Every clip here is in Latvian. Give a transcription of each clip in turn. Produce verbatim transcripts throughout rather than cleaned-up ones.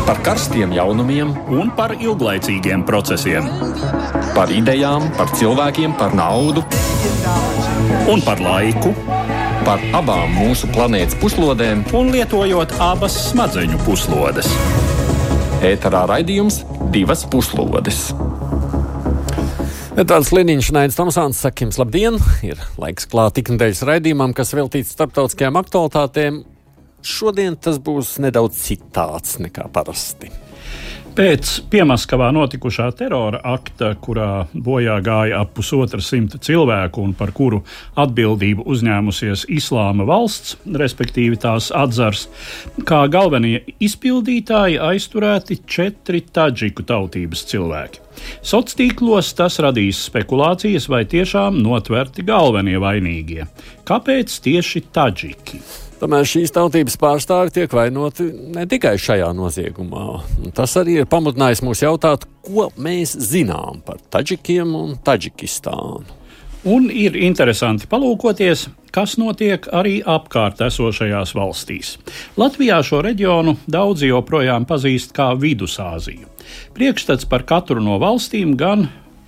Par karstiem jaunumiem un par ilglaicīgiem procesiem. Par idejām, par cilvēkiem, par naudu. Un par laiku. Par abām mūsu planētas puslodēm. Un lietojot abas smadzeņu puslodes. Ēterā raidījums Divas puslodes. Tāds Liniņš, Naidis Tomsons, saka jums labdien. Ir laiks klāt iknedēļas raidījumam, kas veltīts starptautiskajām aktualitātēm. Šodien tas būs nedaudz citāds nekā parasti. Pēc Piemaskavā notikušā terora akta, kurā bojā gāja ap pusotra simta cilvēku un par kuru atbildību uzņēmusies Islāma valsts, respektīvi tās atzars, kā galvenie izpildītāji aizturēti četri tadžiku tautības cilvēki. Sociālos tas radīs spekulācijas, vai tiešām notverti galvenie vainīgie. Kāpēc tieši tadžiki? Tomēr šīs tautības pārstāvi tiek vainoti ne tikai šajā noziegumā. Tas arī ir pamudinājis mūs jautāt, ko mēs zinām par tadžikiem un Tadžikistānu. Un ir interesanti palūkoties, kas notiek arī apkārt esošajās valstīs. Latvijā šo reģionu daudzi joprojām pazīst kā Vidusāziju. Priekšstats par katru no valstīm gan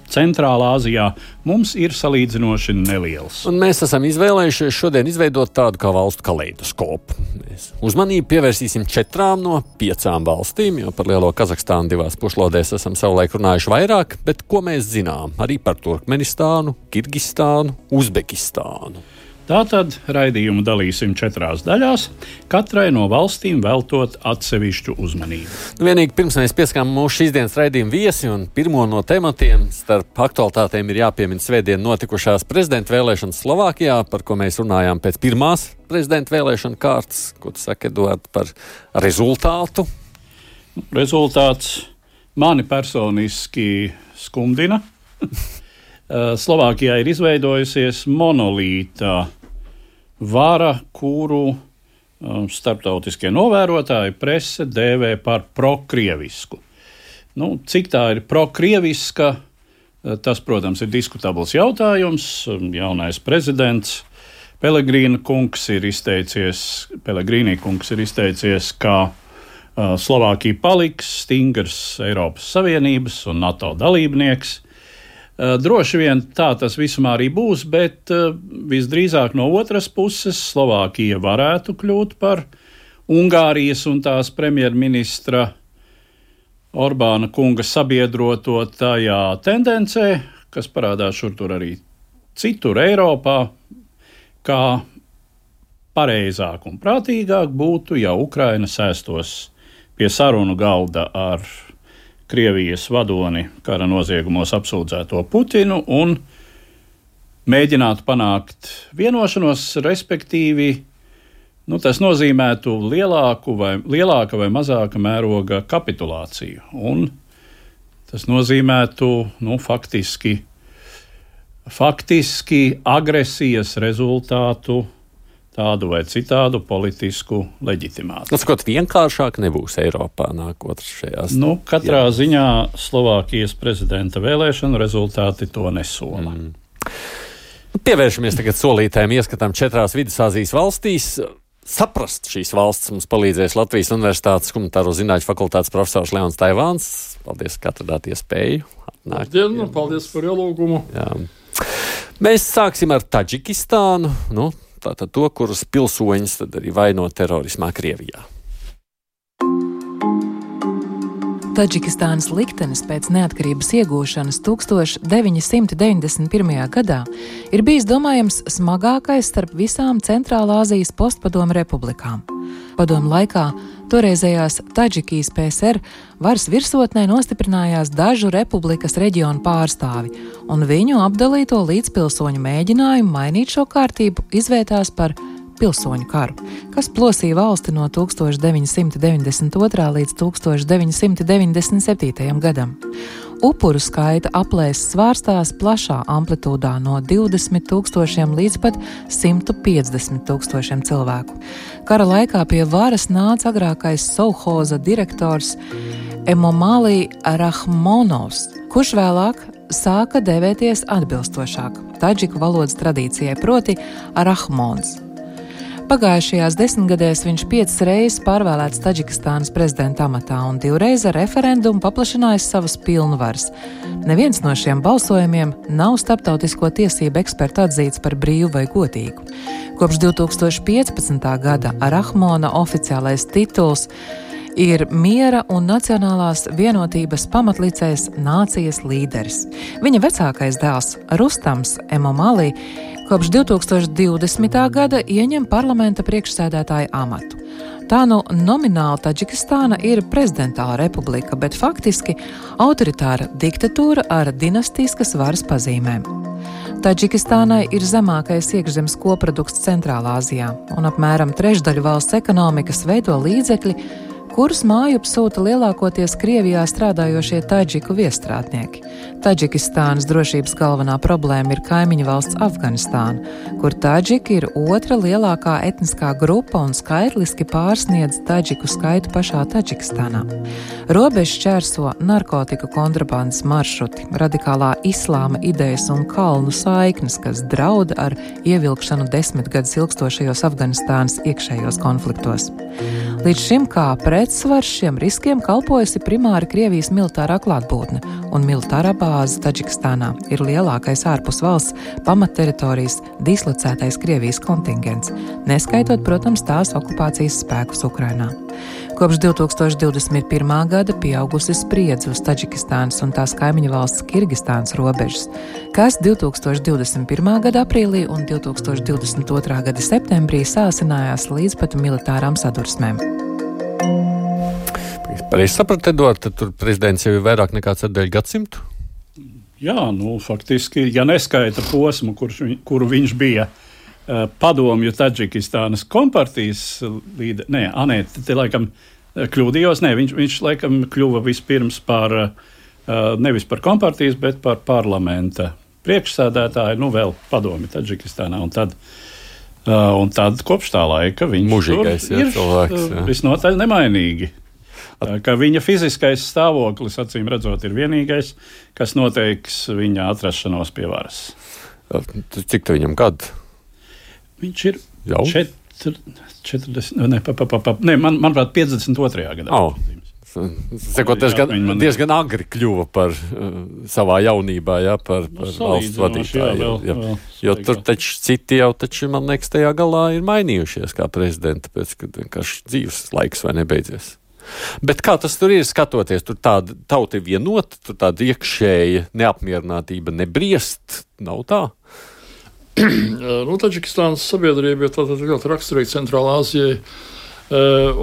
Centrālā Āzijā mums ir salīdzinoši neliels. Un mēs esam izvēlējušies šodien izveidot tādu kā valstu kaleidoskopu. Mēs uzmanību pievērsīsim četrām no piecām valstīm, jo par lielo Kazahstānu divās puslodēs esam savulaik runājuši vairāk, bet ko mēs zinām arī par Turkmenistānu, Kirgistānu, Uzbekistānu. Tātad raidījumu dalīsim četrās daļās, katrai no valstīm veltot atsevišķu uzmanību. Nu, vienīgi pirms mēs pieskām mūsu šīs dienas raidījumu viesi un pirmo no tematiem starp aktualitātēm ir jāpiemina svētdien notikušās prezidenta vēlēšanas Slovākijā, par ko mēs runājām pēc pirmās prezidenta vēlēšana kārtas. Ko tu saki, Eduard, par rezultātu? Rezultāts mani personiski skumdina. Slovākijā ir izveidojusies monolīta vara, kuru um, starptautiskie novērotāji prese dēvē par prokrievisku. Nu, cik tā ir prokrieviska, tas, protams, ir diskutabls jautājums. Jaunais prezidents Pelegrīna kungs ir izteicies, Pelegrīnī kungs ir izteicies, ka uh, Slovākija paliks stingrs Eiropas Savienības un NATO dalībnieks. Droši vien tā tas visumā arī būs, bet visdrīzāk no otras puses Slovākija varētu kļūt par Ungārijas un tās premjerministra Orbāna kunga sabiedroto tajā tendencē, kas parādās šur tur arī citur Eiropā, kā pareizāk un prātīgāk būtu, ja Ukraina sēstos pie sarunu galda ar Krievijas vadoni kara noziegumos apsūdzēto Putinu un mēģinātu panākt vienošanos, respektīvi, nu, tas nozīmētu lielāku vai, lielāka vai mazāka mēroga kapitulāciju. Un tas nozīmētu, nu, faktiski, faktiski agresijas rezultātu, tādu vai citādu politisku leģitimāciju. Skot, vienkāršāk nebūs Eiropā nākotnes šajās. Nu, katrā jā. ziņā Slovākijas prezidenta vēlēšanu rezultāti to nesola. Mm. Pievēršamies tagad solītēm ieskatām četrās Vidusāzijas valstīs. Saprast šīs valsts mums palīdzēs Latvijas Universitātes humanitāro zinātņu fakultātes profesors Leons Taivāns. Paldies, ka atradāt iespēju. Labdien, paldies par ielūgumu. Jā. Mēs sāksim ar Tadžikistānu. Nu, Tātad to, kurus pilsoņus tad arī vaino terorismā Krievijā. Tadžikistānas liktenis pēc neatkarības iegūšanas tuksstoš deviņi simti deviņdesmit pirmajā gadā ir bijis domājams smagākais starp visām Centrālā Āzijas postpadomu republikām. Padomu laikā toreizējās Tadžikijas P S R varas virsotnē nostiprinājās dažu republikas reģionu pārstāvi, un viņu apdalīto līdzpilsoņu mēģinājumu mainīt šo kārtību izvērtās par pilsoņu karu, kas plosīja valsti no deviņi simti deviņdesmit otrā līdz deviņi simti deviņdesmit septītajam gadam. Upuru skaita aplēses svārstās plašā amplitūdā no divdesmit tūkstošiem līdz pat simt piecdesmit tūkstošiem cilvēku. Kara laikā pie varas nāca agrākais Sovhoza direktors Emomali Rahmonovs, kurš vēlāk sāka devēties atbilstošāk tadžiku valodas tradīcijai, proti Rahmons. Pagājušajās desmitgadēs viņš piecas reizes pārvēlēts Taģikistānas prezidenta amatā un divreiz ar referendumu paplašinājis savas pilnvaras. Neviens no šiem balsojumiem nav starptautisko tiesību ekspertu atzīts par brīvu vai godīgu. Kopš divi tūkstoši piecpadsmitā gada Rahmona oficiālais tituls ir miera un nacionālās vienotības pamatlicējs nācijas līderis. Viņa vecākais dēls Rustams Emomali kopš divi tūkstoši divdesmitā gada ieņem parlamenta priekšsēdētāja amatu. Tā nu nomināli Taģikistāna ir prezidentāla republika, bet faktiski autoritāra diktatūra ar dinastiskas varas pazīmēm. Taģikistānai ir zemākais iekšzemes koprodukts Centrālā Azijā, un apmēram trešdaļu valsts ekonomikas veido līdzekļi, kurus mājup sūta lielākoties Krievijā strādājošie taģiku viestrādnieki. Taģikistānas drošības galvenā problēma ir kaimiņu valsts Afganistāna, kur taģiki ir otra lielākā etniskā grupa un skaitliski pārsniedz taģiku skaitu pašā Taģikistānā. Robežu šķērso narkotiku kontrabandas maršruti, radikālā islāma idejas un kalnu saiknes, kas draud ar ievilkšanu desmit gadus ilgstošajos Afganistānas iekšējos konfliktos. Līdz šim kā pretsvars šiem riskiem kalpojusi primāri Krievijas militārā klātbūtne, un militārā bāze Taģikistānā ir lielākais ārpus valsts pamatteritorijas dislocētais Krievijas kontingents, neskaitot, protams, tās okupācijas spēkus Ukrainā. Kopš divi tūkstoši divdesmit pirmā gada pieaugusi spriedze uz Taģikistānas un tās kaimiņu valsts Kirgistānas robežas, kas divi tūkstoši divdesmit pirmā gada aprīlī un divi tūkstoši divdesmit otrā gada septembrī sāsinājās līdz pat militārām sadursmēm. Pareizi sapratu, Eduard, tad tur prezidents jau ir vairāk nekā ceturdaļu gadsimtu? Jā, nu, faktiski, ja neskaita posmu, kurš, kuru viņš bija uh, padomju Taģikistānas kompartijas līde, nē, anē, te laikam kļūdījos, nē, viņš, viņš laikam kļuva vispirms par, uh, nevis par kompartijas, bet par parlamenta priekšsēdētāju, nu, vēl padomju Taģikistānā, un tad, uh, un tad kopš tā laika viņš Mužīgais, tur jā, ir cilvēks, jā. visnotaļ nemainīgi. Ka viņa fiziskais stāvoklis, acīm redzot, ir vienīgais, kas noteiks viņa atrašanos pie varas. Cik tu viņam gadu? Viņš ir jau četr, četrdesmit, ne, pa, pa, pa, pa, ne man, manuprāt, piecdesmit otrajā gadā. Oh. Sekot, diezgan, man... diezgan agri kļuva par uh, savā jaunībā, jā, par, par nu, valsts vadītāju. Jā, jā, vēl, jo tur taču citi jau, taču, man liekas, tajā galā ir mainījušies kā prezidenti, pēc, kad vienkārši dzīves laiks vai nebeidzies. Bet kā tas tur ir, skatoties, tur tāda tauta ir vienota, tur tāda iekšēja neapmierinātība nebriest, nav tā? Nu, Taģikistānas sabiedrība ir tātad ļoti raksturīga Centrālā Azijai,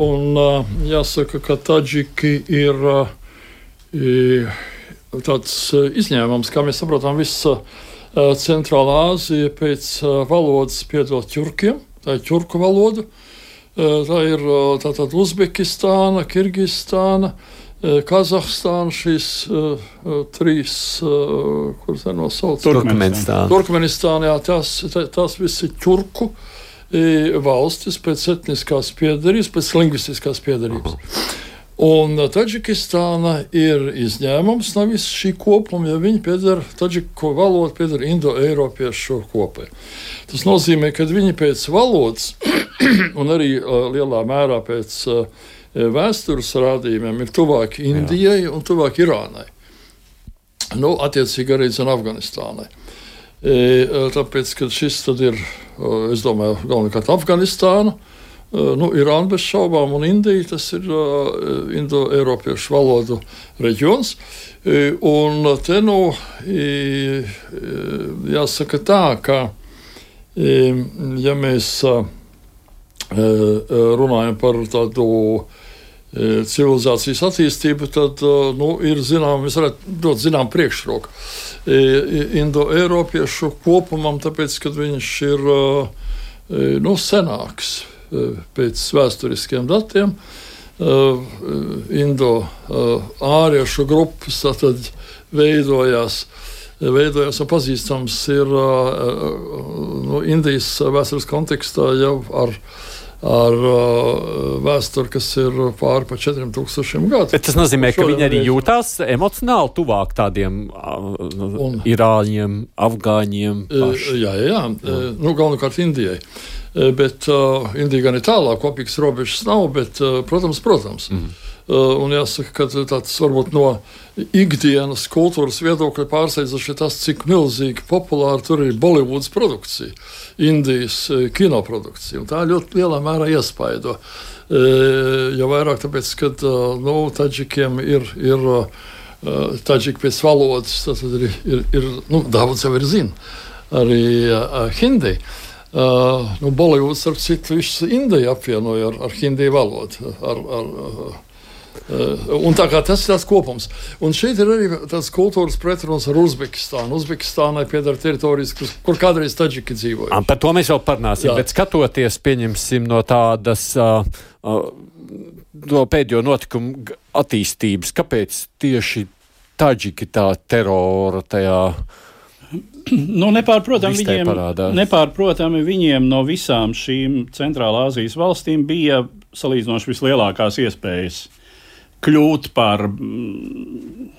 un jāsaka, ka taģiki ir tāds izņēmums, kā mēs saprotam, visa Centrālā Azija pēc valodas piedod ķurkiem, tā ir ķurku valoda. Tā ir tātad Uzbekistāna, Kirgistāna, Kazahstāna, šīs uh, trīs, uh, kuras ir nosauctas? Turkmenistāna. Turkmenistāna, jā, tās, tās visi ķurku valstis pēc etniskās piedarības, pēc lingvistiskās piedarības. Uh-huh. Un Taģikistāna ir izņēmums no visas šī kopuma, ja viņi pieder, taģiku valoda pieder indo-eiropiešu kopai. Tas nozīmē, ka viņi pēc valodas un arī uh, lielā mērā pēc uh, vēstures rādījumiem ir tuvāk Indijai Jā. un tuvāk Irānai. Nu, attiecīgi arī zin Afganistānai. E, tāpēc, ka šis tad ir, es domāju, galvenokārt Afganistāna, nu, Irāna bez šaubām un Indija, tas ir uh, indo-eiropiešu valodu reģions. E, un te, nu, e, jāsaka tā, ka, e, ja mēs uh, runājam par tādu civilizācijas attīstību, tad nu, ir zinām, mēs varētu dot zinām priekšroku indo-eiropiešu kopumam, tāpēc, ka viņš ir nu, senāks pēc vēsturiskiem datiem. Indo-āriešu grupas tātad veidojās, veidojās un pazīstams ir nu, Indijas vēstures kontekstā jau ar ar uh, vēsturi, kas ir pāri pa četriem tūkstošiem gadu. Bet tas nozīmē, ka viņi arī jūtās emocionāli tuvāk tādiem uh, un, irāņiem, afgāņiem. Paši. Jā, jā, jā. Nu, galvenokārt Indijai. bet uh, Indija gan ir tālāk, kopīgas robežas nav, bet, uh, protams, protams. Mm. Uh, un jāsaka, ka tāds varbūt no ikdienas kultūras viedokļa pārsteidzoši tas, cik milzīgi populāri tur ir Bolivudas produkcija, Indijas uh, kinoprodukcija. Un tā ļoti lielā mērā iespaido. Uh, jo vairāk tāpēc, ka uh, nu, taģikiem ir, ir uh, taģiki pēc valodas, tad ir, ir, ir nu, daudz jau ir zina, arī uh, hindi. Uh, nu, Bolivuds, starp citu, viss Indiju apvienoja ar, ar hindi valodu, ar, ar uh, Uh, un tā kā tas ir tāds kopums. Un šeit ir arī tāds kultūras pretruns ar Uzbekistānu. Uzbekistānai pieder teritorijas, kur, kur kādreiz taģiki dzīvoja. Par to mēs vēl parunāsim, jā. Bet skatoties, pieņemsim no tādas uh, uh, no pēdējo notikumu attīstības, kāpēc tieši taģiki tā terora tajā nu, nepārprotami viņiem, nepārprotami viņiem no visām šīm Centrālā Āzijas valstīm bija salīdzinoši vislielākās iespējas kļūt par mm,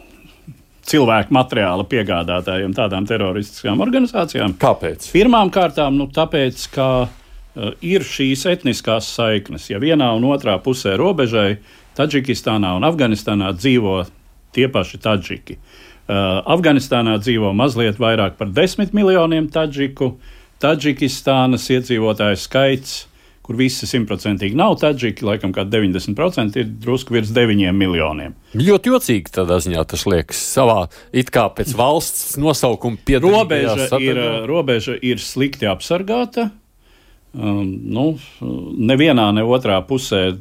cilvēku materiāla piegādātājiem tādām teroristiskām organizācijām. Kāpēc? Pirmām kārtām, nu, tāpēc, ka uh, ir šīs etniskās saiknes. Ja vienā un otrā pusē robežai Taģikistānā un Afganistānā dzīvo tie paši taģiki. Uh, Afganistānā dzīvo mazliet vairāk par desmit miljoniem taģiku. Taģikistānas iedzīvotāju skaits, kur visi simtprocentīgi nav taģiki, laikam kā deviņdesmit procenti ir drusku virs deviņiem miljoniem. Ļoti jocīgi tādā ziņā tas liekas. Savā it kā pēc valsts nosaukuma piedarīgajā robeža, robeža ir slikti apsargāta. Um, nu, nevienā, ne otrā pusē,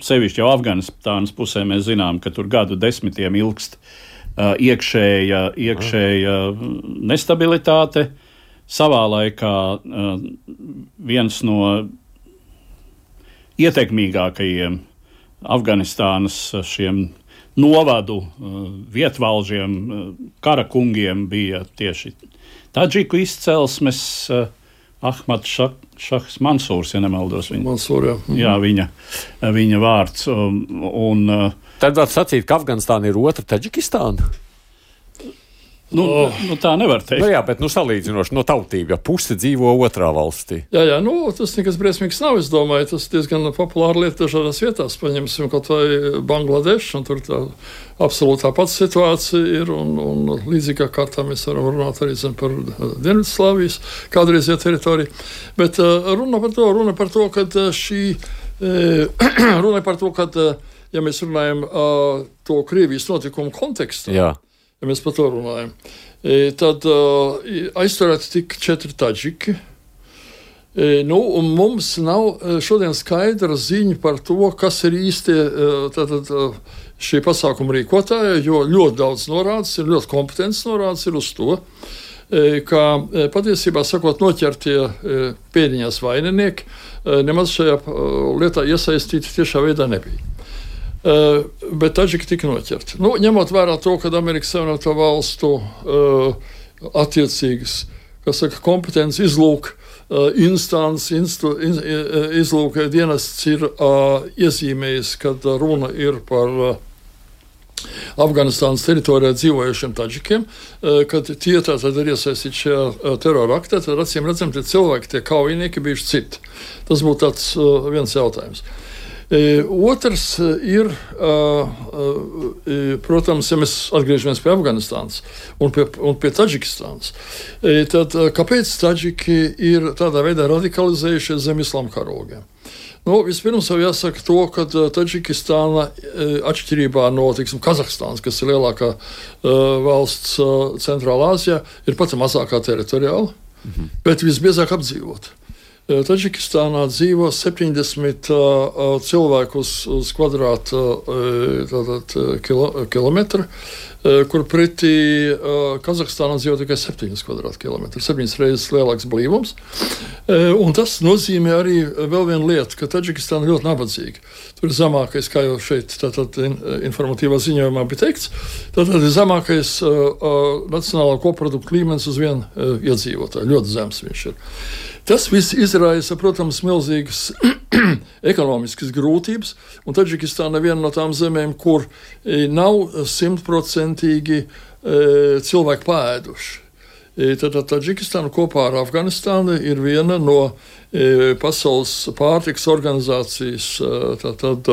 sevišķi jau Afganistānas pusē, mēs zinām, ka tur gadu desmitiem ilgst uh, iekšēja, iekšēja nestabilitāte. Savā laikā uh, viens no ietekmīgākajiem Afganistānas šiem novadu uh, vietvalžiem, uh, karakungiem bija tieši taģiku izcelsmes uh, Ahmad Šah, Šahs Mansūrs, ja nemaldos. Viņa, Mansūr, jā. Mhm. Jā, viņa, viņa vārds. Un, un, uh, Tad var sacīt, ka Afganistāna ir otra Taģikistāna? Nu, oh. nu, tā nevar teikt. Nu, jā, bet nu, salīdzinoši no tautība, ja puse dzīvo otrā valstī. Jā, jā, nu, tas nekas briesmīgs nav, es domāju, tas diezgan populāra lieta dažādās vietās. Paņemsim kaut vai Bangladešu, un tur tā absolūti tā pats situācija ir, un, un līdzīgā kārtā mēs varam runāt arī zin, par Dienvidslāvijas kādreizajā teritoriju. Bet uh, runa par to, runa par to, ka šī, uh, runa par to, ka, uh, ja mēs runājam uh, to Krievijas notikumu kontekstā, jā. Ja mēs par to runājam, e, tad uh, aizturēti tik četri taģiki. E, nu, un mums nav šodien skaidra ziņa par to, kas ir īsti tātad, šie pasākuma rīkotāji, jo ļoti daudz norādes, ir ļoti kompetents norādes ir uz to, e, ka patiesībā sakot noķertie e, pēdiņās vaininieki e, nemaz šajā lietā iesaistīti tiešā veidā nebija. Uh, bet taģiki tika noķerti. Nu, ņemot vērā to, ka Amerikas Savienoto Valstu uh, attiecīgas, kas saka, kompetents izlūk uh, instants, instu, in, izlūk dienests ir uh, iezīmējis, kad runa ir par uh, Afganistānas teritorijā dzīvojušiem taģikiem, uh, kad tie tātad ir iesaistīti šajā uh, terora aktā, tad acīm redzam, tie cilvēki, tie kaujinieki bijuši citi. Tas būtu tāds uh, viens jautājums. E, otrs ir, uh, uh, protams, ja mēs atgriežamies pie Afganistānas un pie, un pie Taģikistānas, e, tad uh, kāpēc taģiki ir tādā veidā radikalizējušies zem islāma karogiem? Nu, vispirms jau jāsaka to, ka Taģikistāna, atšķirībā no, teiksim, Kazahstānas, kas ir lielākā uh, valsts uh, Centrālā Āzijā, ir pati mazākā teritoriāla, mhm. bet visbiezāk apdzīvota. Taģikistānā dzīvo septiņdesmit uh, cilvēku uz, uz kvadrāta uh, kilo, kilometru, uh, kur pretī uh, Kazahstānā dzīvo tikai septiņas kvadrāta kilometru, septiņas reizes lielāks blīvums. Uh, un tas nozīmē arī vēl vienu lietu, ka Taģikistāna ļoti nabadzīga. Tur ir zemākais, kā jau šeit tātad in, informatīvā ziņojumā bija teikts, tātad ir zemākais uh, uh, nacionālā koprodukta līmenis uz vienu uh, iedzīvotāju. Ļoti zems viņš ir. Tas viss izraisa, protams, milzīgas ekonomiskas grūtības, un Taģikistāna ir viena no tām zemēm, kur nav simtprocentīgi e, cilvēki pāēduši. Tad Tadžikistāna kopā ar Afganistānu ir viena no e, pasaules pārtikas organizācijas tā, tad,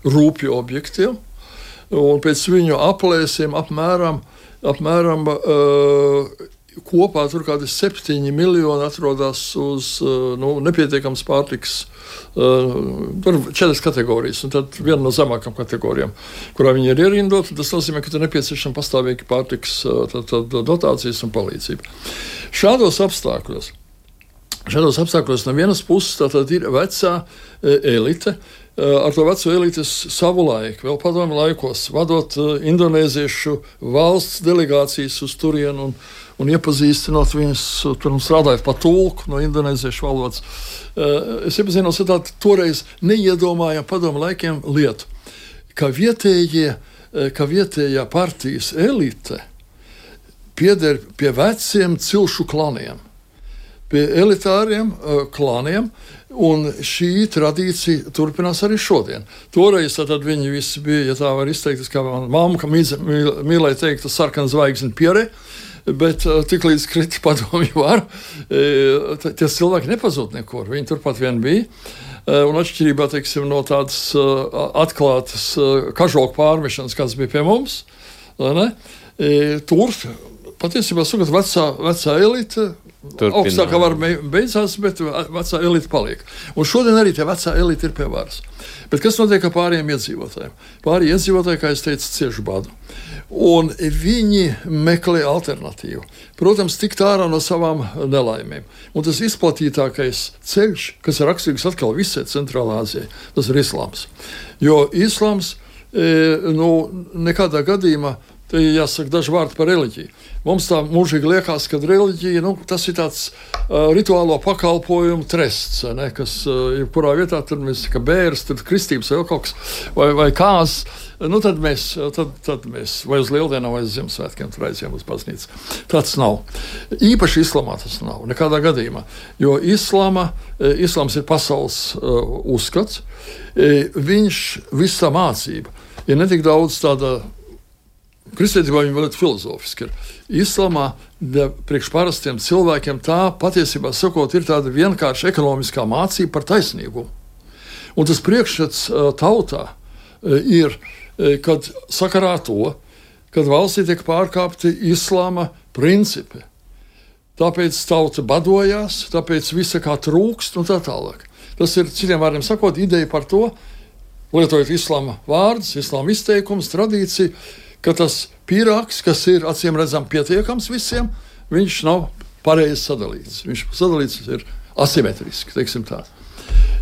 rūpju objektiem. Un pēc viņu aplēsiem apmēram, apmēram uh, kopā tur kādi septiņi miljoni atrodas uz uh, nu, nepietiekams pārtiks. Uh, tur ir četras kategorijas, un tad viena no zemākām kategorijām, kurā viņi ir ierindoti. Tas nozīmē, ka tur nepieciešama pastāvīgi pārtiks uh, tad, tad, dotācijas un palīdzība. Šādos apstākļos, šādos apstākļos no vienas puses tātad ir vecā elite. Ar to veco elites savu laiku, vēl padomju laikos, vadot indonēziešu valsts delegācijas uz turienu un, un iepazīstinot viņus, tur strādājot pa tulku no indonēziešu valodas. Es iepazīnos ar tādu toreiz neiedomājam padomju laikiem lietu, ka vietējie, ka vietējā partijas elite pieder pie veciem cilšu klaniem, pie elitāriem klaniem. Un šī tradīcija turpinās arī šodien. Toreiz tad viņi visi bija, ja tā var izteikties, kā mana mamma, ka mīlēja teikt, tas sarkana zvaigzne pierē, bet tik līdz krita padomju varu, tie cilvēki nepazūd nekur, viņi turpat vien bija. Un atšķirībā, teiksim, no tādas atklātas kažoku pārmešanas, kāds bija pie mums, ne? Tur patiesībā sakot, vecā, vecā elite Turpināt. Augstākā var beidzās, bet vecā elite paliek. Un šodien arī tie vecā elite ir pie varas. Bet kas notiek ar pārējiem iedzīvotājiem? Pārējie iedzīvotāji, kā es teicu, cieši badu. Un viņi meklē alternatīvu. Protams, tikt ārā no savām nelaimēm. Un tas izplatītākais ceļš, kas ir raksturīgs atkal visai Centrālā Āzijai, tas ir islāms. Jo islāms e, nu, nekādā gadījumā, te jāsaka daži vārdi par reliģiju. Mums tā mūžīgi liekas, ka reliģija, nu, tas ir tāds uh, rituālo pakalpojumu trests, ne, kas uh, jebkurā vietā, tur mēs, ka bērs, tad kristības vai kaut kas, vai, vai kāzas, nu, tad mēs, tad, tad mēs vai uz Lieldienām, vai uz Ziemassvētkiem tur aizjām uz baznīcu. Tāds nav. Īpaši islamā tas nav, nekādā gadījumā, jo islama, islams ir pasaules uh, uzskats, viņš visa mācība ir netik daudz tāda. Kristietībā viņi vēl ir filozofiski. Islamā priekš parastiem cilvēkiem tā patiesībā sakot ir tāda vienkārša ekonomiskā mācība par taisnīgumu. Un tas priekšstats tautā ir, kad sakarā to, kad valstī tiek pārkāpti islāma principi. Tāpēc tauta badojās, tāpēc visa kā trūkst un tā tālāk. Tas ir, citiem vārdiem sakot, ideja par to, lietojot islāma vārdus, islāma izteikumus, tradīciju, ka tas pīrāgs, kas ir acīm redzam pietiekams visiem, viņš nav pareizi sadalīts. Viņš sadalīts ir asimetriski, teiksim tā.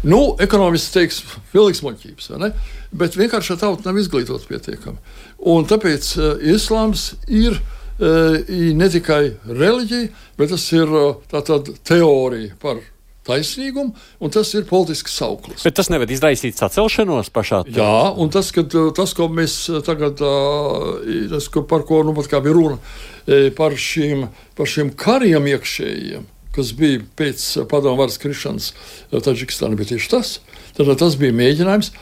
Nu, ekonomiski teiks, pilnīgs muļķības, vai ne? Bet vienkārši tauta nav izglītot pietiekami. Un tāpēc uh, islāms ir uh, ne tikai reliģija, bet tas ir uh, tā tāda teorija par taisnīgumu, un tas ir politisks sauklis. Bet tas nevar izraisīt sacelšanos pašā? Tā. Jā, un tas, kad, tas ko mēs tagad, tas, par ko nu pat kā bija runa, par šīm, par šīm kariem iekšējiem, kas bija pēc padomu varas krišanas Tadžikistāna, bija tieši tas. Tad tas bija mēģinājums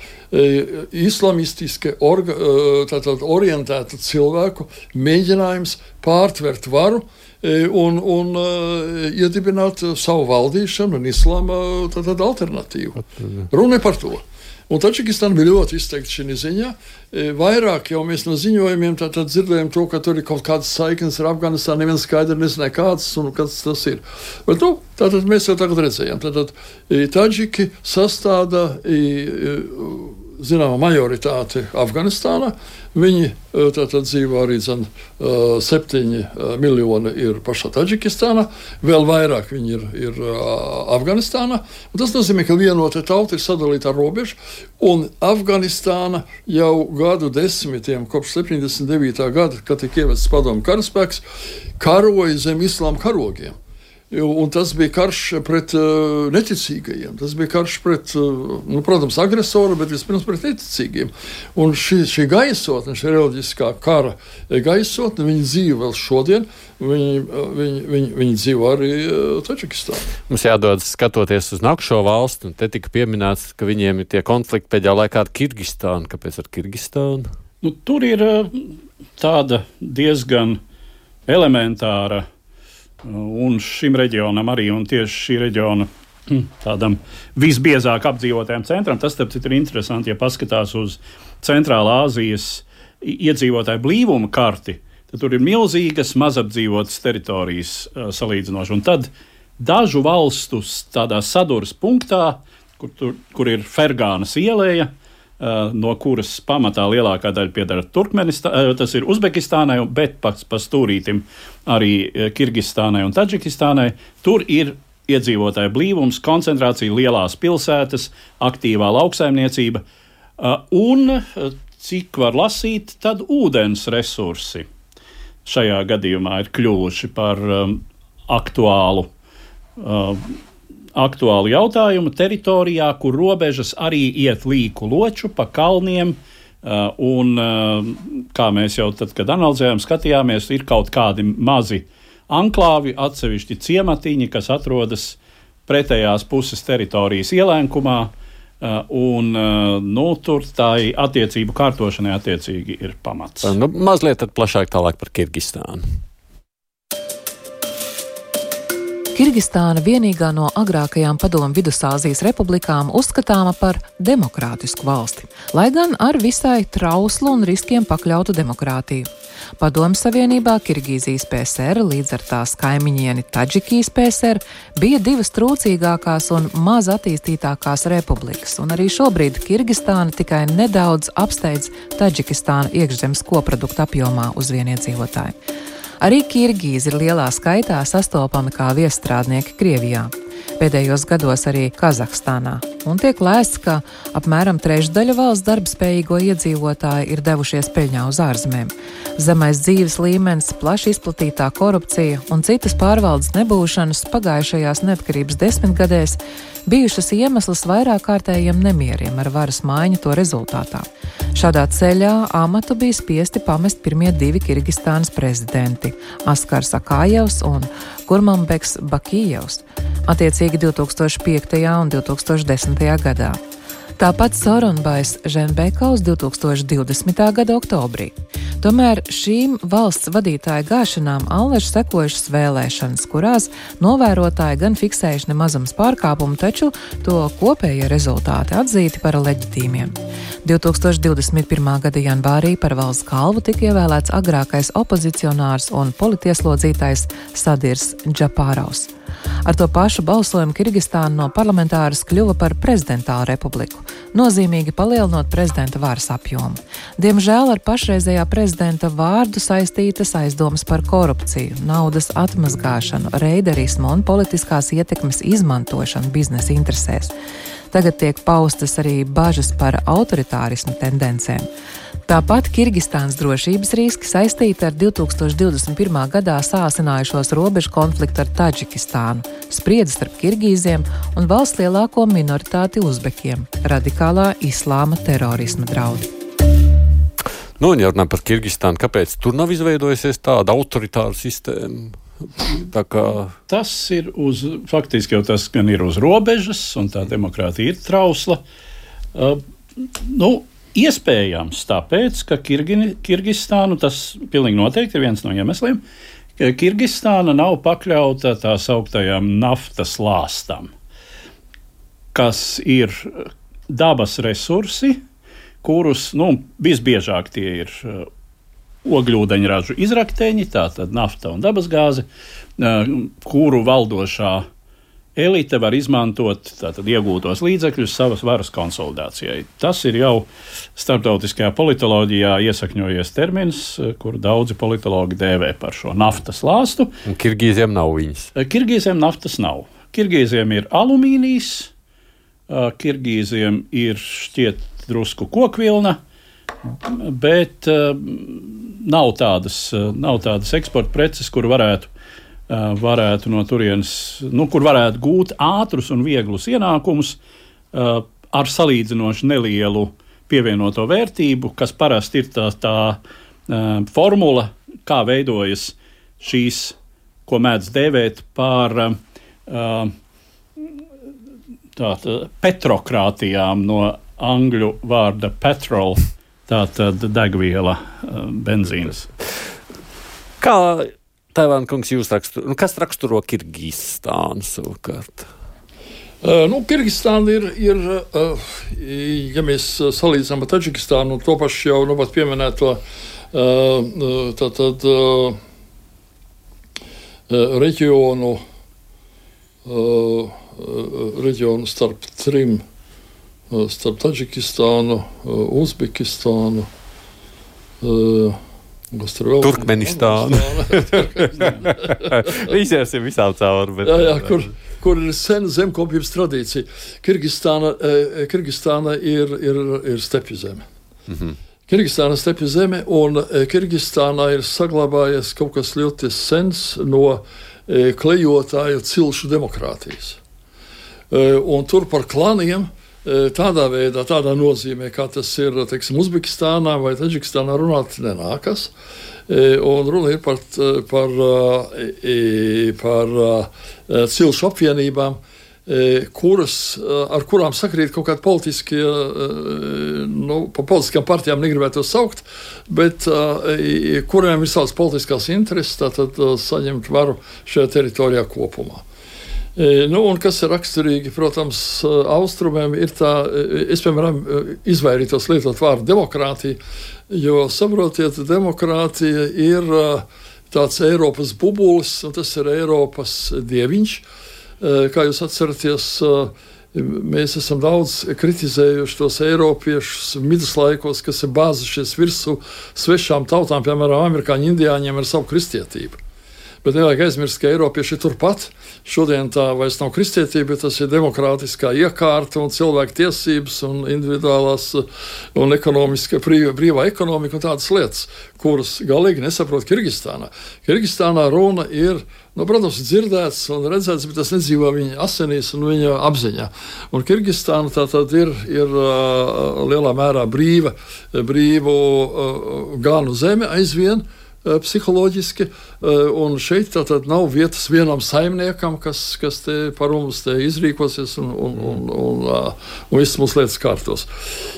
islamistiski orga, tātad orientētu cilvēku mēģinājums pārtvert varu un, un uh, iedibināt savu valdīšanu un islāma tātad alternatīvu. Runa par to. Un Tadžikistāna bija ļoti izteikti šī ziņā. Vairāk jau mēs no ziņojumiem tātad dzirdējām to, ka tur ir kaut kādas saiknes ar Afganistānu, neviens skaidri nezināja kāds un kas tas ir. Bet nu, tātad mēs jau tagad redzējām. Tātad Tadžiki sastāda zināmā majoritāti Afganistānā. Viņi tātad dzīvo arī zin, septiņi miljoni ir pašā Tadžikistānā, vēl vairāk viņi ir, ir Afganistānā. Un tas nozīmē, ka vienota tauta ir sadalīta ar robežu, un Afganistāna jau gadu desmitiem, kopš septiņdesmit devītā gada, kad tika ievests padomu karaspēks, karoja zem islāma karogiem. Un tas bija karš pret uh, neticīgajiem. Tas bija karš pret, uh, nu, protams, agresoru, bet vispirms pret neticīgiem. Un šī, šī gaisotne, šī reliģiskā kara gaisotne, viņi dzīvo vēl šodien. Viņi, viņi, viņi, viņi dzīvo arī uh, Tadžikistānā. Mums jādodas skatoties uz nākušo valstu, un te tika pieminēts, ka viņiem ir tie konflikti pēdējā laikā ar Kirgistānu. Kāpēc ar Kirgistānu? Nu, tur ir uh, tāda diezgan elementāra Un šim reģionam arī, un tieši šī reģiona tādam visbiezāk apdzīvotajam centram, tas tāpēc ir interesanti, ja paskatās uz Centrālā Āzijas iedzīvotāju blīvuma karti, tad tur ir milzīgas mazapdzīvotas teritorijas uh, salīdzinoši. Un tad dažu valstu tādā saduras punktā, kur, tur, kur ir Fergānas ieleja, uh, no kuras pamatā lielākā daļa piedara Turkmenistānai, uh, tas ir Uzbekistānai, bet pats pa stūrītim arī uh, Kirgistānai un Tadžikistānai. Tur ir iedzīvotāju blīvums, koncentrācija, lielās pilsētas, aktīvā lauksaimniecība uh, un, uh, cik var lasīt, tad ūdens resursi šajā gadījumā ir kļuvuši par um, aktuālu, uh, aktuālu jautājumu teritorijā, kur robežas arī iet līku loču pa kalniem, uh, un, uh, kā mēs jau tad, kad analizējām, skatījāmies, ir kaut kādi mazi anklāvi, atsevišķi ciematiņi, kas atrodas pretējās puses teritorijas ielēnkumā, uh, un uh, nu, tur tā attiecību kārtošanai attiecīgi ir pamats. Nu, mazliet tad plašāk tālāk par Kirgistānu. Kirgistāna vienīgā no agrākajām padomu Vidusāzijas republikām uzskatāma par demokrātisku valsti, lai gan ar visai trauslu un riskiem pakļautu demokrātiju. Padomu Savienībā Kirgīzijas P S R līdz ar tās kaimiņieni Tadžikijas P S R bija divas trūcīgākās un maz attīstītākās republikas, un arī šobrīd Kirgistāna tikai nedaudz apsteidz Tadžikistānu iekšzemes koproduktu apjomā uz vieniedzīvotāju. Arī kirgīzi ir lielā skaitā sastopami kā viesstrādnieki Krievijā, pēdējos gados arī Kazahstānā, un tiek lēsts, ka apmēram trešdaļa valsts darbspējīgo iedzīvotāju ir devušies peļņā uz ārzemēm. Zemais dzīves līmenis, plaši izplatītā korupcija un citas pārvaldes nebūšanas pagājušajās neatkarības desmitgadēs bijušas iemesls vairāk kārtējiem nemieriem ar varas maiņu to rezultātā. Šādā ceļā amatu bija spiesti pamest pirmie divi Kirgistānas prezidenti – Askars Akājevs un Kurmanbeks Bakījevs, attiecīgi divi tūkstoši piektajā un divi tūkstoši desmitajā gadā. Tāpat Soronbais Ženbekovs divi tūkstoši divdesmitā gada oktobrī. Tomēr šīm valsts vadītāju gāšanām allaž sekojušas vēlēšanas, kurās novērotāji gan fiksējuši nemazums pārkāpumu, taču to kopējie rezultāti atzīti par leģitīmiem. divi tūkstoši divdesmit pirmā gada janvārī par valsts galvu tika ievēlēts agrākais opozicionārs un politieslodzītais Sadirs Džapārovs. Ar to pašu balsojumu Kirgistāna no parlamentāras kļuva par prezidentālu republiku, nozīmīgi palielinot prezidenta varas apjomu. Diemžēl ar pašreizējā prezidenta vārdu saistītas aizdomas par korupciju, naudas atmazgāšanu, reiderismu un politiskās ietekmes izmantošanu biznesa interesēs. Tagad tiek paustas arī bažas par autoritārismu tendencēm. Tāpat Kirgistānas drošības riski saistīti ar divi tūkstoši divdesmit pirmā gadā sāsinājušos robežu konfliktu ar Tadžikistānu, spriedzi starp kirgīziem un valsts lielāko minoritāti uzbekiem, radikālā islāma terorisma draudi. Nu, un ja runā par Kirgistānu, kāpēc tur nav izveidojusies tāda autoritāra sistēma? Tā kā... Tas ir uz, faktiski jau tas gan ir uz robežas, un tā demokrātija ir trausla. Uh, nu, iespējams tāpēc, ka Kirgi, Kirgistānu, tas pilnīgi noteikti ir viens no iemesliem, ka Kirgistāna nav pakļauta tā sauktajām naftas lāstam, kas ir dabas resursi, kurus, nu, visbiežāk tie ir uh, ogļūdeņražu izrakteņi, tātad nafta un dabasgāze, kuru valdošā elite var izmantot tātad iegūtos līdzekļus savas varas konsolidācijai. Tas ir jau starptautiskajā politoloģijā iesakņojies termins, kuru daudzi politologi dēvē par šo naftas lāstu. Un Kirgīziem nav viņas? Kirgīziem naftas nav. Kirgīziem ir alumīnijs, Kirgīziem ir šķiet drusku kokvilna, bet uh, nav tādas, uh, nav tādas eksporta preces, kur varētu, uh, varētu no turienes, nu, kur varētu gūt ātrus un vieglus ienākumus uh, ar salīdzinoši nelielu pievienoto vērtību, kas parasti ir tā, tā uh, formula, kā veidojas šīs, ko mēdz dēvēt par uh, tātad petrokrātijām no angļu vārda petrol. Tā tad degviela, benzīns. Kā Tēvān kungs, jūs raksturo, nu, kas raksturo Kirgistānu savukārt? Uh, nu, Kirgistāna ir, ir uh, ja mēs salīdzinām ar Taģikistānu, to pašu jau nu, pat pieminēto uh, tātad uh, reģionu, uh, reģionu starp trim, uh, starp Taģikistānu, uh, Uzbekistānu, uh, Turkmenistānu. Visiem ir visām cauri. Bet... Jā, jā, kur, kur ir sena zemkopības tradīcija. Kirgistāna, eh, Kirgistāna ir, ir, ir stepju zeme. Mm-hmm. Kirgistāna ir stepju zeme, un eh, Kirgistānā ir saglabājies kaut kas ļoti sens no eh, klejotāju cilšu demokrātijas. Eh, un tur par klaniem tādā veidā, tādā nozīmē, kā tas ir, teiksim, Uzbekistānā vai Taģikistānā runāt nenākas. Un runa ir par, par, par cilšu apvienībām, kuras, ar kurām sakrīt kaut kādi politiskie, nu, pa politiskām partijām negribētu to saukt, bet kuriem ir savas politiskās intereses, tātad saņemt varu šajā teritorijā kopumā. Nu, un kas ir raksturīgi, protams, austrumiem, ir tā, es, piemēram, izvairītos lietot vārdu demokrātija, jo, saprotiet, demokrātija ir tāds Eiropas bubulis, un tas ir Eiropas dieviņš. Kā jūs atceraties, mēs esam daudz kritizējuši tos eiropiešus viduslaikos, kas ir bāzušies virsū svešām tautām, piemēram, amerikāņu indiāņiem ar savu kristietību. Bet nevajag aizmirst, ka Eiropieši ir turpat. Šodien tā vairs nav kristietība, bet tas ir demokrātiskā iekārta un cilvēku tiesības un individuālās un ekonomiska, brīva, brīvā ekonomika un tādas lietas, kuras galīgi nesaprot Kirgistānā. Kirgistānā runa ir, nu, protams, dzirdēts un redzēts, bet tas nedzīvo viņa asinīs un viņa apziņā. Un Kirgistāna tā tad ir, ir uh, lielā mērā brīva, brīvu uh, ganu zeme aizvien, psiholoģiski, un šeit tātad nav vietas vienam saimniekam, kas, kas te par mums te izrīkosies un, un, un, un, un viss mūsu lietas kārtos.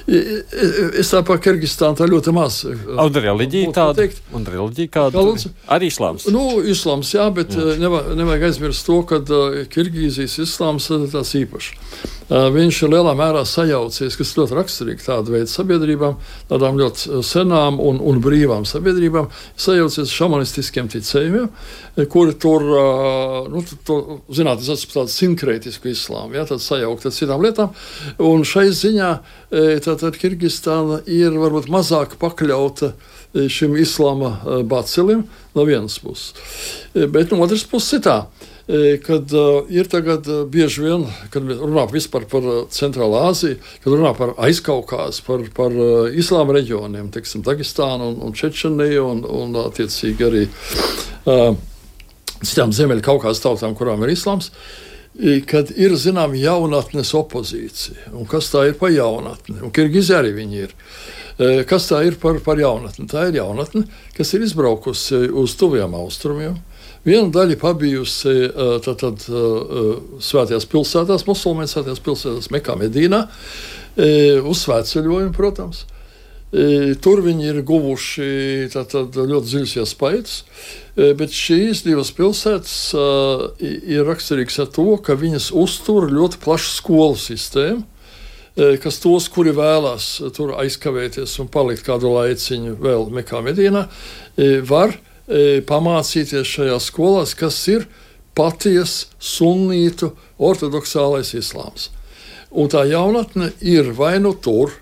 Es tā par Kirgistānu tā ļoti maz. Un reliģija tāda? Un reliģija kāda? Arī islāms? Nu, islāms, jā, bet jā. Nevajag, nevajag aizmirst to, ka Kirgīzijas islāms ir tās īpaši. Viņš ir lielā mērā sajaucies, kas ļoti raksturīgi tādu veidu sabiedrībām, tādām ļoti senām un, un brīvām sabiedrībām, sajaucies šamanistiskiem ticējumiem, kuri tur, nu, to, zināt, es esmu tādu sinkrētisku islāmu, jā, tādu sajaukt ar citām lietām, un šai ziņā tātad Kirgistāna ir varbūt mazāk pakļauta šim islāma bacilim no vienas puses. Bet no otras puses ir tā, kad uh, ir tagad uh, bieži vien, kad runā vispār par uh, Centrālu Āziju, kad runā par Aizkaukāzu, par, par uh, islāma reģioniem, teiksim, Dagestānu un, un Čečeniju un, un attiecīgi arī uh, citām Ziemeļkaukāzes tautām, kurām ir islāms, kad ir, zinām, jaunatnes opozīcija. Un kas tā ir par jaunatni? Un Kirgizi arī viņi ir. Uh, kas tā ir par, par jaunatni? Tā ir jaunatne, kas ir izbraukusi uz tuviem austrumiem. Viena daļa pabijusi tātad svētajās pilsētās, musulmaņu svētajās pilsētās, Mekā, Medīnā, uz svētceļojumu, protams. Tur viņi ir guvuši tātad ļoti dziļus iespaidus, bet šīs divas pilsētas ir raksturīgas ar to, ka viņas uztur ļoti plašu skolu sistēmu, kas tos, kuri vēlās tur aizkavēties un palikt kādu laiciņu vēl Mekā, Medīnā, var pamācīties šajās skolās, kas ir paties sunnītu ortodoksālais islāms. Un tā jaunatne ir vai nu tur,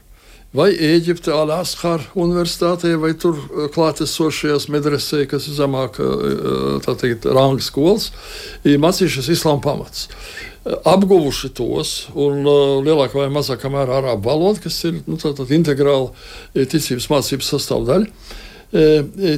vai Ēģipte Al-Azhar universitātē, vai tur klātesošajās medresē, kas ir zemāk, tā teikt, ranga skolas, ir mācījušies islāma pamats. Apguvuši tos, un lielākā vai mazākā mērā arābu valoda, kas ir, nu, tā, tā integrāla ticības mācības sastāvdaļa.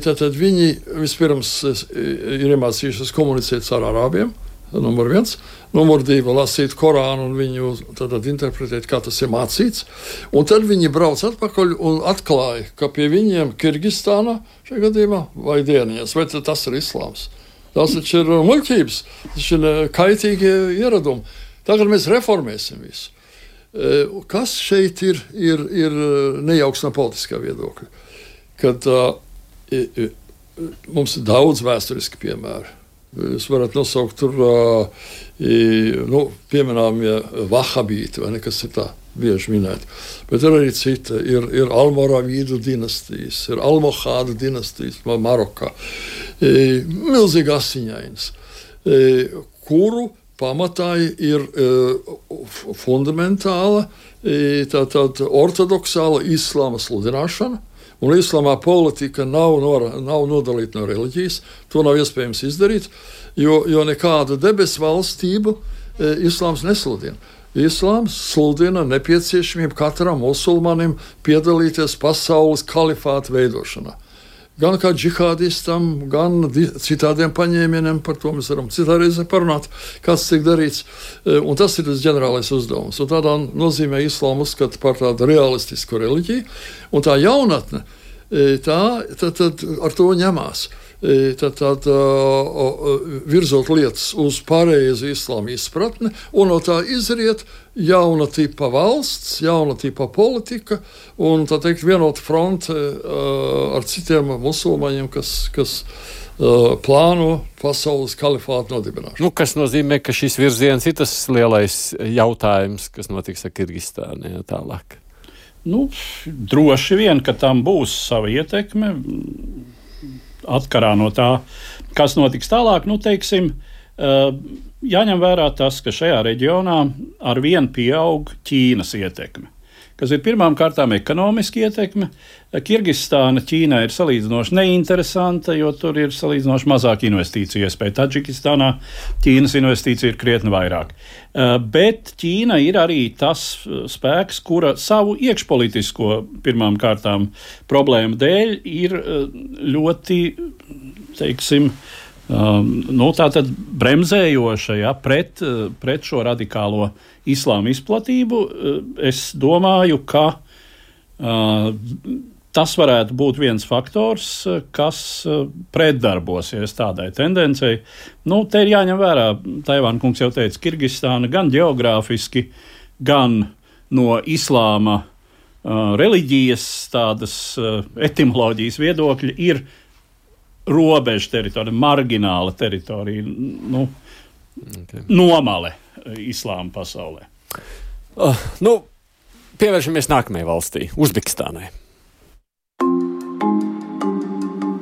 Tātad viņi vispirms ir iemācījušies komunicēt ar arābiem, numur viens, numur divi lasīt Korānu un viņu tātad interpretēt, kā tas ir mācīts, un tad viņi brauc atpakaļ un atklāja, ka pie viņiem Kirgistānā šajā gadījumā vai dieniņas, vai tas ir islāms. Tas taču ir muļķības, tas ir kaitīgi ieradumi. Tagad mēs reformēsim visu. Kas šeit ir, ir, ir nejauks no politiskā viedokļa? Kad uh, mums ir daudz vēsturiski piemēri. Jūs varat nosaukt tur, nu, pieminējumie vahabīti, vai ne, kas ir tā bieži minēti. Bet ir arī cita. Ir, ir Almoravīdu dinastijas, ir Almohādu dinastijas Marokā. Milzīgi asiņainas, kuru pamatā ir fundamentāla, tātad ortodoksāla islāma sludināšana. Un islāmā politika nav, nor, nav nodalīta no reliģijas. To nav iespējams izdarīt, jo, jo nekādu debesu valstību e, islāms nesludina. Islāms sludina nepieciešamību katram musulmanim piedalīties pasaules kalifāta veidošanā. Gan kā džihādistam, gan citādiem paņēmieniem, par to mēs varam citā reizē parunāt, kas tiek darīts. Un tas ir tas ģenerālais uzdevums. Un tādā nozīmē islāmu uzskata par tādu realistisku reliģiju. Un tā jaunatne, tā, tad, tad ar to ņemās. Tad, tad virzot lietas uz pareizu islāma izpratni, un no tā izriet jauna tipa valsts, jauna tipa politika, un tā teikt vienota fronte ar citiem musulmaņiem, kas, kas plāno pasaules kalifātu nodibināšanu. Nu, kas nozīmē, ka šis virziens ir tas lielais jautājums, kas notiks ar Kirgistānu ja, tālāk? Nu, droši vien, ka tam būs sava ietekme. Atkarā no tā, kas notiks tālāk, nu, teiksim, jāņem vērā tas, ka šajā reģionā ar vien pieaug Ķīnas ietekme, kas ir pirmām kārtām ekonomiski ietekme. Kirgistāna Ķīnai ir salīdzinoši neinteresanta, jo tur ir salīdzinoši mazāk investīciju iespēja. Taģikistānā Ķīnas investīcija ir krietni vairāk. Bet Ķīna ir arī tas spēks, kura savu iekšpolitisko pirmām kārtām problēmu dēļ ir ļoti, teiksim, nu, tātad bremzējoša ja, pret, pret šo radikālo islāma izplatību. Es domāju, ka uh, tas varētu būt viens faktors, kas pretdarbosies tādai tendencei. Nu, te ir jāņem vērā, Taivāna kungs jau teica, Kirgistāna gan geogrāfiski, gan no islāma uh, reliģijas tādas uh, etimoloģijas viedokļa ir robeža teritorija, margināla teritorija, nu, okay. Nomale islāma pasaulē. Uh, nu, pievēršamies nākamajai valstī, Uzbekistānai.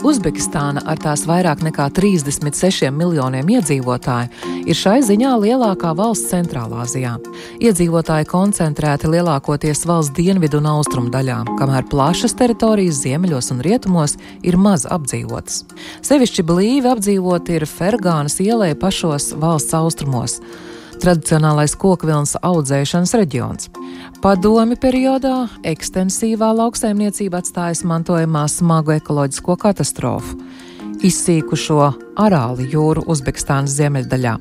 Uzbekistāna ar tās vairāk nekā trīsdesmit sešiem miljoniem iedzīvotāju ir šai ziņā lielākā valsts Centrālāzijā. Iedzīvotāji koncentrēti lielākoties valsts dienvidu un austrumu daļā, kamēr plašas teritorijas ziemeļos un rietumos ir maz apdzīvotas. Sevišķi blīvi apdzīvot ir Fergānas ielai pašos valsts austrumos. Tradicionālais kokvilnas audzēšanas reģions. Padomju periodā ekstensīvā lauksaimniecība atstājas mantojumā smagu ekoloģisko katastrofu, izsīkušo Arāli jūru Uzbekistānas ziemeļdaļā.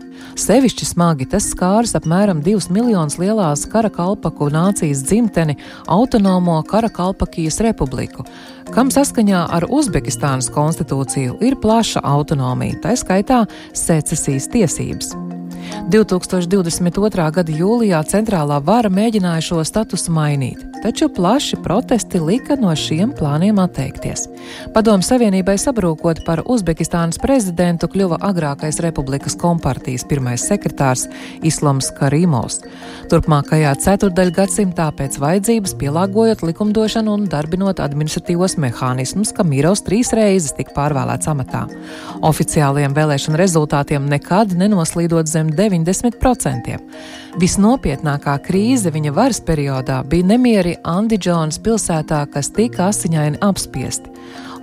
Sevišķi smagi tas skāris apmēram divus miljonus lielās Karakalpaku nācijas dzimteni autonomo Karakalpakijas republiku, kam saskaņā ar Uzbekistānas konstitūciju ir plaša autonomija, tā skaitā secesijas tiesības. divtūkstoš divdesmit otrā gada jūlijā centrālā vara mēģināja šo statusu mainīt, taču plaši protesti lika no šiem plāniem atteikties. Padomju Savienībai sabrūkot par Uzbekistānas prezidentu kļuva agrākais Republikas kompartijas pirmais sekretārs Islams Karīmovs. Turpmākajā ceturdaļgadsimtā pēc vajadzības pielāgojot likumdošanu un darbinot administratīvos mehānismus, ka Mirovs trīs reizes tika pārvēlēts amatā. Oficiālajiem vēlēšanu rezultātiem nekad nenoslīdot zem deviņdesmit procentiem. Visnopietnākā krīze viņa varas periodā bija nemieri Andidžonas pilsētā, kas tika asiņaini apspiesti.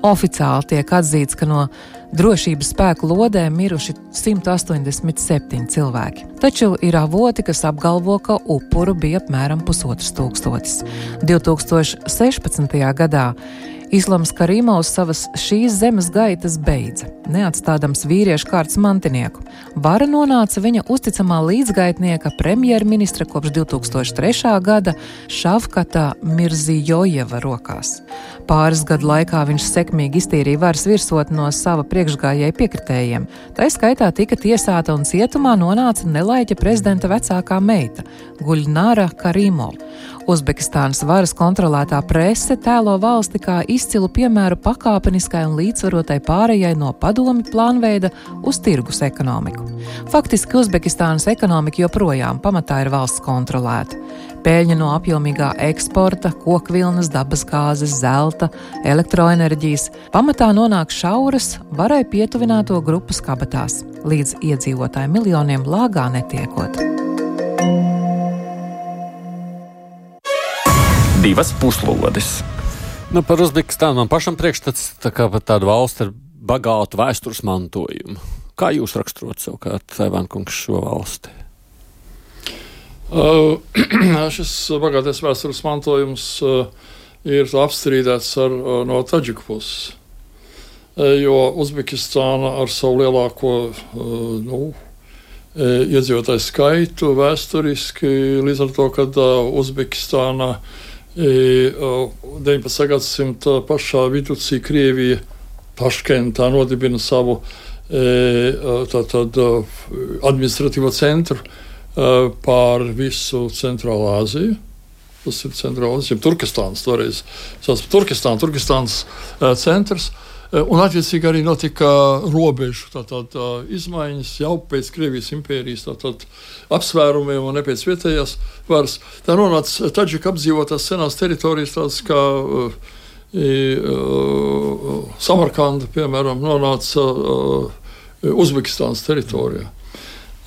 Oficiāli tiek atzīts, ka no drošības spēku lodēm miruši simt astoņdesmit septiņi cilvēki. Taču ir avoti, kas apgalvo, ka upuru bija apmēram pusotrs tūkstotis. divtūkstoš sešpadsmitajā gadā Islams Karīmovs savas šīs zemes gaitas beidza, neatstādams vīriešu kārtas mantinieku. Vara nonāca viņa uzticamā līdzgaitnieka premjerministra kopš divtūkstoš trešā gada Šavkata Mirzijojeva rokās. Pāris gadu laikā viņš sekmīgi iztīrīja varas virsotni no sava priekšgājēja piekritējiem. Tā skaitā tika tiesāta un cietumā nonāca nelaiķa prezidenta vecākā meita, Guļnāra Karīmova. Uzbekistānas varas kontrolētā prese tēlo valsti kā izcilu piemēru pakāpeniskai un līdzsvarotai pārējai no padomju plānveida uz tirgus ekonomiku. Faktiski Uzbekistānas ekonomika joprojām pamatā ir valsts kontrolēta. Peļņa no apjomīgā eksporta, kokvilnas, dabasgāzes, zelta, elektroenerģijas pamatā nonāk šauras, varai pietuvināto grupas kabatās, līdz iedzīvotāju miljoniem lāgā netiekot. Divas puslodes. Nu, par Uzbekistānu man pašam priekšstats tā kā par tādu valsti ar bagātu vēstures mantojumu. Kā jūs raksturot savukārt, Taivāna kungs, šo valsti? Uh, šis bagātais vēstures mantojums uh, ir apstrīdēts ar, uh, no Taģiku puses, uh, jo Uzbekistāna ar savu lielāko uh, nu, iedzīvotāju skaitu vēsturiski, līdz ar to, kad uh, Uzbekistāna deviņpadsmitā gadsimta pašā viducī Krievija Taškentā nodibina savu tātad administratīvo centru pār visu Centrālu Āziju. Tas ir Centrāla Āzija, Turkestāns toreiz. Tas Turkestāns, Turkestāns centrs. Un attiecīgi arī notika robežu tātad, izmaiņas jau pēc Krievijas impērijas tātad, apsvērumiem un ne pēc vietējās varas. Tā nonāca Taģika apdzīvotās senās teritorijas, tādas kā uh, uh, Samarkanda, piemēram, nonāca uh, Uzbekistānas teritorijā.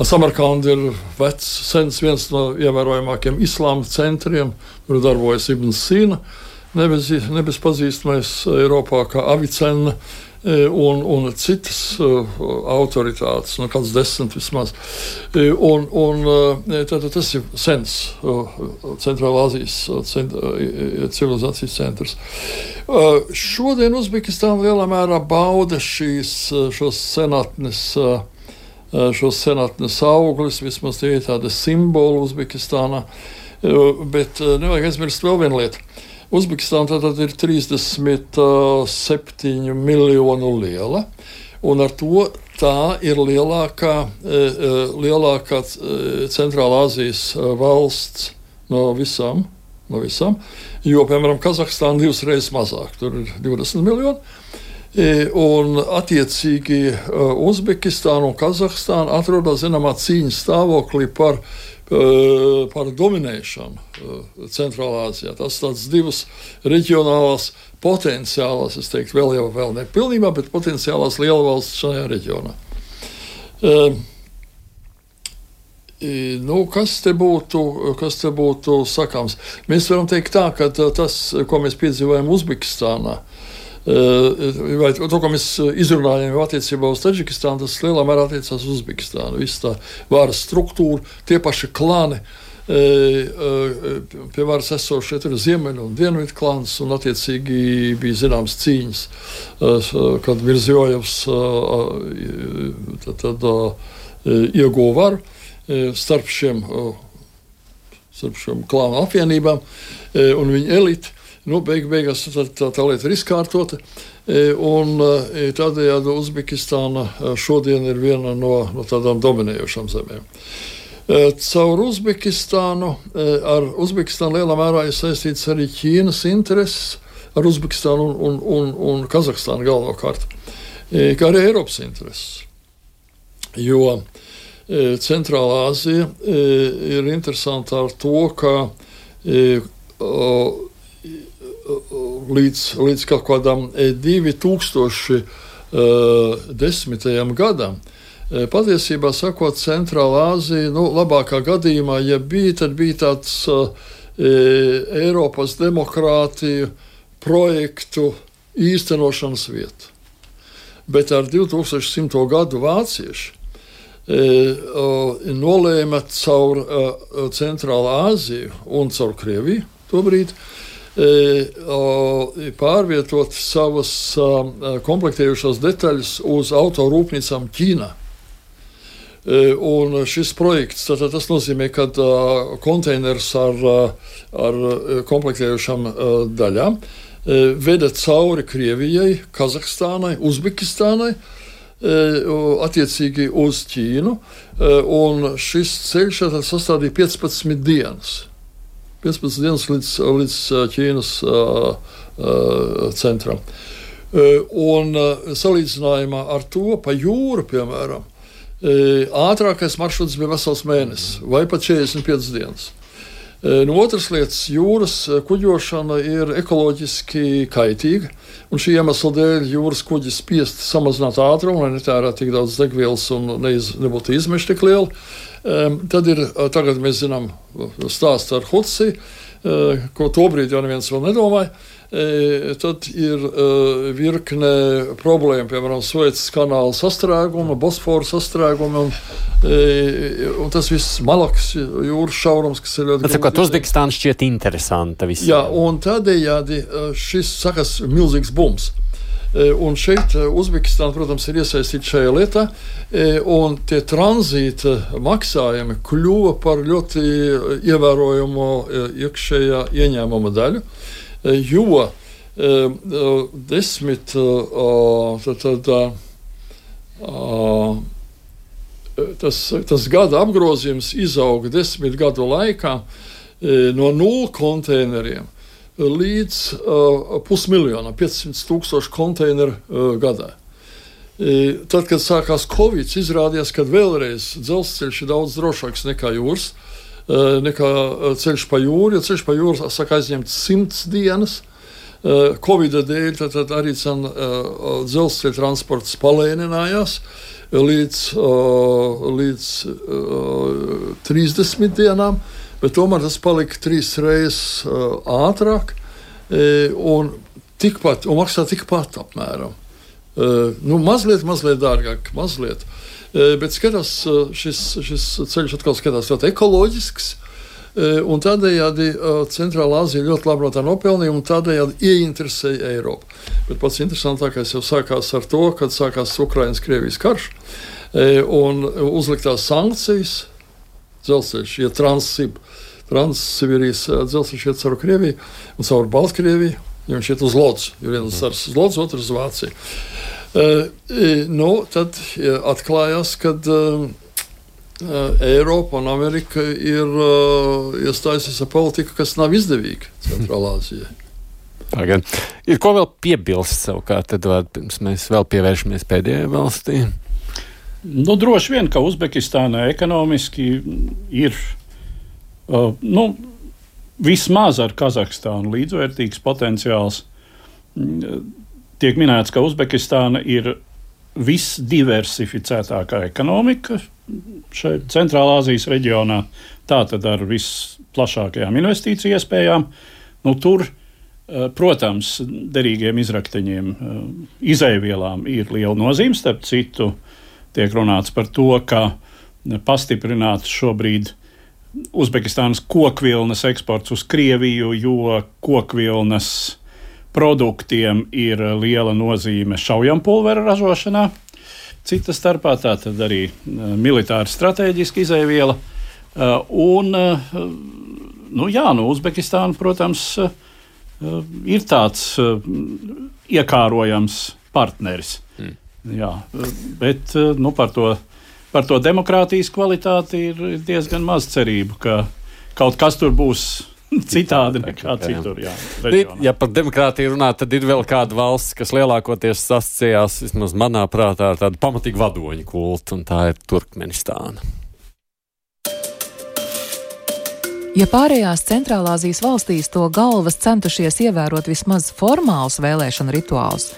Samarkanda ir vecs, sens, viens no ievērojamākiem islāma centriem, kur darbojas Ibn Sīna. Nebez, nebez pazīstamais Eiropā kā Avicena un, un citas uh, autoritātes, nu kāds desmit vismaz. Un, un tātad tas ir sens uh, Centrālā Āzijas cent, uh, civilizācijas centrs. Uh, šodien Uzbekistāna lielā mērā bauda šīs, šos senatnes, uh, šos senatnes augļus, vismaz tie ir tādi simboli Uzbekistānā, uh, bet uh, nevajag aizmirst vēl vienu lietu. Uzbekistāna tātad ir trīsdesmit septiņu miljonu liela, un ar to tā ir lielākā, lielākā Centrālā Āzijas valsts no visām, no visām, jo, piemēram, Kazahstāna divas reizes mazāk, tur ir divdesmit miljoni, un attiecīgi Uzbekistāna un Kazahstāna atrodas zināmā cīņas stāvoklī par par dominēšanu Centrālā Āzijā. Tas tāds divas reģionālās potenciālās, es teiktu, vēl jau vēl nepilnībā, bet potenciālās lielvalsts šajā reģionā. Uh, nu, kas te būtu, kas te būtu sakāms? Mēs varam teikt tā, ka tas, ko mēs piedzīvojam Uzbekistānā, vai to, ko mēs izrunājam jau attiecībā uz Taģikistānu, tas lielā mērā attiecās uz Uzbekistānu. Viss tā varas struktūra, tie paši klani, pie varas esošie ir ziemeļu un dienvidu klāns, un attiecīgi bija zināmas cīņas, kad Mirzjojevs tad, tad, ieguva varu starp šiem, starp šiem klānu apvienībām un viņu eliti. Nu, beig, beigās tā, tā, tā lieta ir izkārtota, un tādējādi Uzbekistāna šodien ir viena no, no tādām dominējošām zemēm. Caur Uzbekistānu, ar Uzbekistānu lielā mērā ir saistīts arī Ķīnas intereses, ar Uzbekistānu un, un, un, un Kazahstānu galvenokārt, kā arī Eiropas intereses. Jo Centrālā Āzija ir interesanta ar to, ka līdz, līdz kaut kādam divi tūkstoši desmitajam gadam. Patiesībā sakot, Centrālā Āzija, nu, labākā gadījumā, ja bija, tad bija tāds uh, Eiropas demokrātiju projektu īstenošanas vieta. Bet ar divtūkstoš simto gadu vācieši uh, nolēma caur uh, Centrālā Āziju un caur Krieviju tobrīd pārvietot savas komplektējušās detaļas uz autorūpnīcām Ķīnā. Un šis projekts, tātad tas nozīmē, ka konteiners ar, ar komplektējušām daļām veda cauri Krievijai, Kazahstānai, Uzbekistānai, attiecīgi uz Ķīnu, un šis ceļš sastādīja piecpadsmit dienas. piecpadsmit dienas līdz, līdz Ķīnas uh, uh, centram. Uh, un uh, salīdzinājumā ar to pa jūru, piemēram, uh, ātrākais maršruts bija vesels mēnesis vai pat četrdesmit piecas dienas. No otras lietas, jūras kuģošana ir ekoloģiski kaitīga, un šī iemesla dēļ jūras kuģi spiest samazināt ātrumu, lai netērētu tik daudz degvielas un neiz, nebūtu izmeši tik lieli. Um, tad ir, tagad mēs zinām stāstu ar Hudsi, uh, ko tobrīd jau neviens vēl nedomāja. E, tad ir uh, virkne problēma, piemēram, Suecas kanāla sastrēguma, Bosfora sastrēguma, un, e, un tas viss Malakas jūras šaurums, kas ir ļoti... Tāpēc, Uzbekistāna šķiet interesanta visiem. Jā, un tādējādi šis sakas milzīgs bums. E, un šeit Uzbekistāna, protams, ir iesaistīta šajā lietā, e, un tie tranzīta maksājumi kļuva par ļoti ievērojumu iekšējā ieņēmuma daļu. Jo uh, desmit uh, tad, tad, uh, tas, tas gada apgrozījums izauga desmit gadu laikā uh, no nulles konteineriem līdz uh, pusmiljonam, piecsimt tūkstoši konteineru uh, gadā. Uh, tad, kad sākās Covid, izrādījās, ka vēlreiz dzelzceļš ir daudz drošāks nekā jūras. Nekā ceļš pa jūru, jo ceļš pa jūru saka aizņemt simts dienas. Covida dēļ tad, tad arī cen, dzelzceļa transports palēninājās līdz, līdz trīsdesmit dienām, bet tomēr tas palika trīs reizes ātrāk un, tikpat, un maksā tikpat apmēram. Nu, mazliet, mazliet dārgāk, mazliet. Bet skatās, šis, šis ceļš atkal skatās ļoti ekoloģisks, un tādējādi Centrālā Āzija ļoti labi no tā nopelnīja, un tādējādi ieinteresēja Eiropu. Bet pats interesantākais jau sākās ar to, kad sākās Ukrainas-Krievijas karš, un uzliktās sankcijas, dzelzceļš, ja Transsib, Transsibīrijas dzelzceļš iet caur Krieviju un caur Baltkrieviju, jo viņš iet uz Lodzi, jo viens cars uz Lodzi, otrs uz Vāciju. Uh, nu, tad atklājās, ka uh, Eiropa un Amerika ir uh, iestājusies ar politiku, kas nav izdevīga Centrālā Āzijai. Tagad ir ko vēl piebilst savukārt, tad var, pirms mēs vēl pievēršamies pēdējai valstī? Nu, droši vien, ka Uzbekistānai ekonomiski ir uh, nu, vismaz ar Kazahstānu līdzvērtīgs potenciāls. Tiek minēts, ka Uzbekistāna ir visdiversificētākā ekonomika šeit Centrālā Āzijas reģionā, tātad ar visplašākajām investīciju iespējām. Nu, tur, protams, derīgiem izrakteņiem, izejvielām ir liela nozīme. Starp citu, tiek runāts par to, ka pastiprināts šobrīd Uzbekistānas kokvilnas eksports uz Krieviju, jo kokvilnas produktiem ir liela nozīme šaujampulvera ražošanā. Cita starpā tā tad arī militāra stratēģiska izejviela. Un, nu jā, nu Uzbekistāna, protams, ir tāds iekārojams partneris. Mm. Jā, bet nu, par to, par to demokrātijas kvalitāti ir diezgan maz cerību, ka kaut kas tur būs citādi nekā citur. Jā, ja par demokrātiju runā, tad ir vēl kāda valsts, kas lielākoties sasciejās, vismaz manā prātā, ar tādu pamatīgu vadoņu kultu, un tā ir Turkmenistāna. Ja pārējās Centrālāzijas valstīs to galvas centušies ievērot vismaz formālus vēlēšanu rituālus,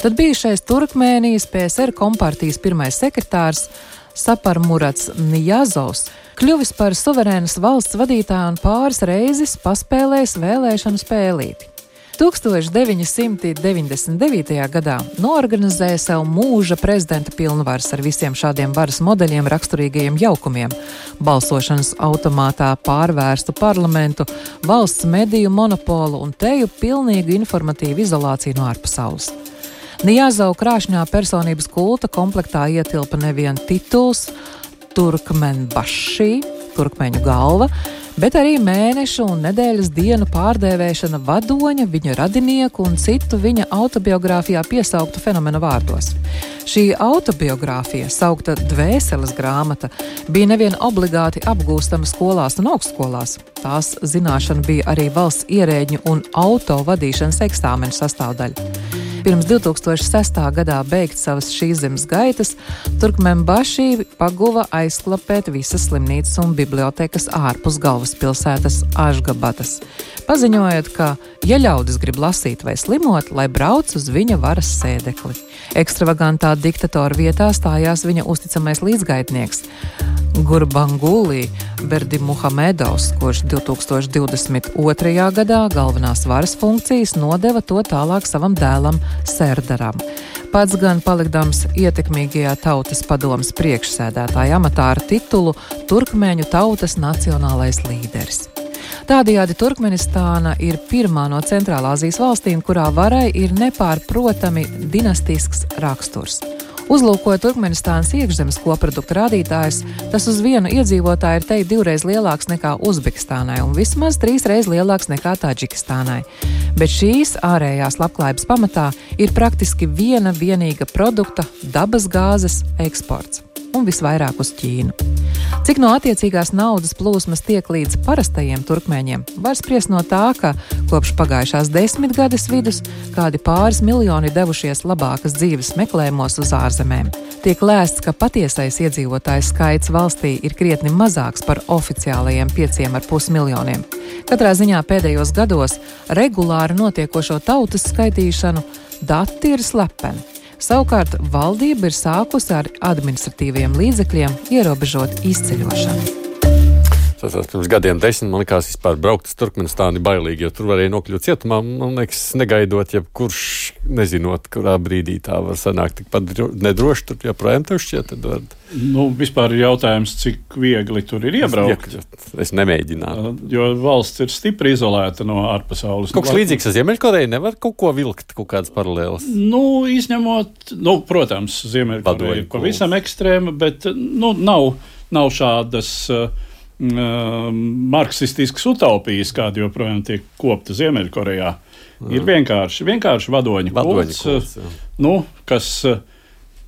tad bijušais Turkmēnijas P S R kompartijas pirmais sekretārs Saparmurats Niyazovs kļuvis par suverēnas valsts vadītāju un pāris reizes paspēlējis vēlēšanu spēlīti. tūkstoš deviņi simti deviņdesmit devītajā gadā noorganizēja sev mūža prezidenta pilnvaras ar visiem šādiem varas modeļiem raksturīgajiem jaukumiem, balsošanas automātā pārvērstu parlamentu, valsts mediju monopolu un teju pilnīgu informatīvu izolāciju no ārpasaules. Niyazova krāšņā personības kulta komplektā ietilpa nevien tituls Turkmenbaši, turkmeņu galva, bet arī mēnešu un nedēļas dienu pārdēvēšana vadoņa, viņa radinieku un citu viņa autobiogrāfijā piesauktu fenomenu vārdos. Šī autobiogrāfija, saukta Dvēseles grāmata, bija nevien obligāti apgūstama skolās un augstskolās. Tās zināšana bija arī valsts ierēģņu un auto vadīšanas eksāmenu sastāvdaļa. Pirms divi tūkstoši sestā gadā beigt savas šīs zemes gaitas, Turkmenbaši paguva aizklapēt visas slimnīcas un bibliotekas ārpus galvaspilsētas Ašgabatas, paziņojot, ka, ja ļaudis grib lasīt vai slimot, lai brauc uz viņa varas sēdekli. Ekstravagantā diktatora vietā stājās viņa uzticamais līdzgaitnieks Gurbangulī Berdimuhamedovs, kurš divi tūkstoši divdesmit otrajā gadā galvenās varas funkcijas nodeva to tālāk savam dēlam Serdaram. Pats gan palikdams ietekmīgajā tautas padomes priekšsēdētāja amatā ar titulu Turkmeņu tautas nacionālais līderis. Tādējādi Turkmenistāna ir pirmā no Centrālāzijas valstīm, kurā varai ir nepārprotami dinastisks raksturs. Uzlūkojot Turkmenistānas iekšzemes koprodukta rādītājus, tas uz vienu iedzīvotāju ir teikt divreiz lielāks nekā Uzbekistānai un vismaz trīsreiz lielāks nekā Taģikistānai. Bet šīs ārējās labklājības pamatā ir praktiski viena vienīga produkta dabas gāzes eksports un visvairāk uz Ķīnu. Cik no attiecīgās naudas plūsmas tiek līdz parastajiem turkmeņiem, var spriest no tā, ka kopš pagājušās desmitgades vidus kādi pāris miljoni devušies labākas dzīves meklējumos uz ārzemēm. Tiek lēsts, ka patiesais iedzīvotājs skaits valstī ir krietni mazāks par oficiālajiem pieciem ar pus miljoniem. Katrā ziņā pēdējos gados regulāri notiekošo tautas skaitīšanu dati ir slepeni. Savukārt valdība ir sākusi ar administratīviem līdzekļiem ierobežot izceļošanu. Tas pirms gadiem desmit man likās vispār braukt uz Turkmenistānu bailīgi, jo tur varēja nokļūt cietumā, man liekas, negaidot, ja kurš nezinot, kurā brīdī tā var sanākt tikpat nedroši, tur joprojām tev šķiet, tad var... Nu, vispār ir jautājums, cik viegli tur ir iebraukt. Es nemēģinātu. Jo valsts ir stipri izolēta no ārpasaules. Kaut kas līdzīgs ar Ziemeļkoreju nevar kaut ko vilkt, kaut kādas paralēlas? Nu, izņemot, nu, protams, Ziemeļkoreja ir pavisam ekstrēma, bet, nu, nav, nav šādas... Uh, marksistiskas utopijas, kāda joprojām tiek kopta Ziemeļkorejā. Ir vienkārši, vienkārši vadoņa kults, kults nu, kas,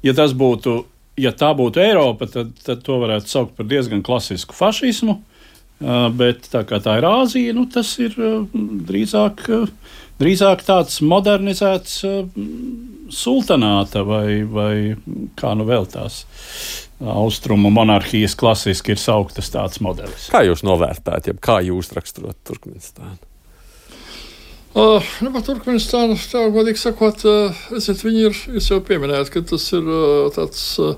ja tas būtu, ja tā būtu Eiropa, tad, tad to varētu saukt par diezgan klasisku fašismu, bet tā kā tā ir Āzija, nu, tas ir drīzāk, drīzāk tāds modernizēts sultanāta vai, vai kā nu vēl tās austrumu monarhijas klasiski ir sauktas tāds modelis. Kā jūs novērtējat, jeb kā jūs raksturot Turkmenistānu? Uh, nu, par Turkmenistānu, tā godīgi sakot, uh, esiet, viņi ir, jūs jau pieminējat, ka tas ir uh, tāds uh,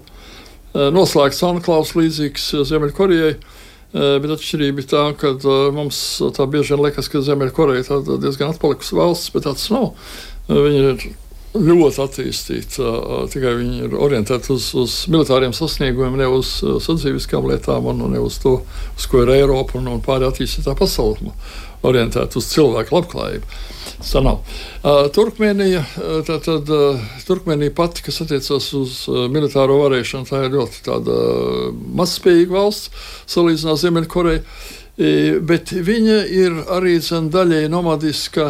noslēgts anklāvs līdzīgs Ziemeļkorejai, uh, bet atšķirība ir tā, ka uh, mums tā bieži vien liekas, ka Ziemeļkoreja tāda diezgan atpalikusi valsts, bet tāds nav. Uh, viņi ir ļoti attīstīti. Tikai viņi ir orientēti uz, uz militāriem sasniegumiem, ne uz sadzīviskām lietām un ne uz to, uz ko ir Eiropa un, un pārējā attīstītā pasaule. Orientēti uz cilvēku labklājību. Tā nav. Turkmēnija, tātad Turkmēnija pati, kas attiecas uz militāro varēšanu, tā ir ļoti tāda mazspējīga valsts, salīdzināt Ziemeļkoreju. Bet viņa ir arī daļēji nomadiska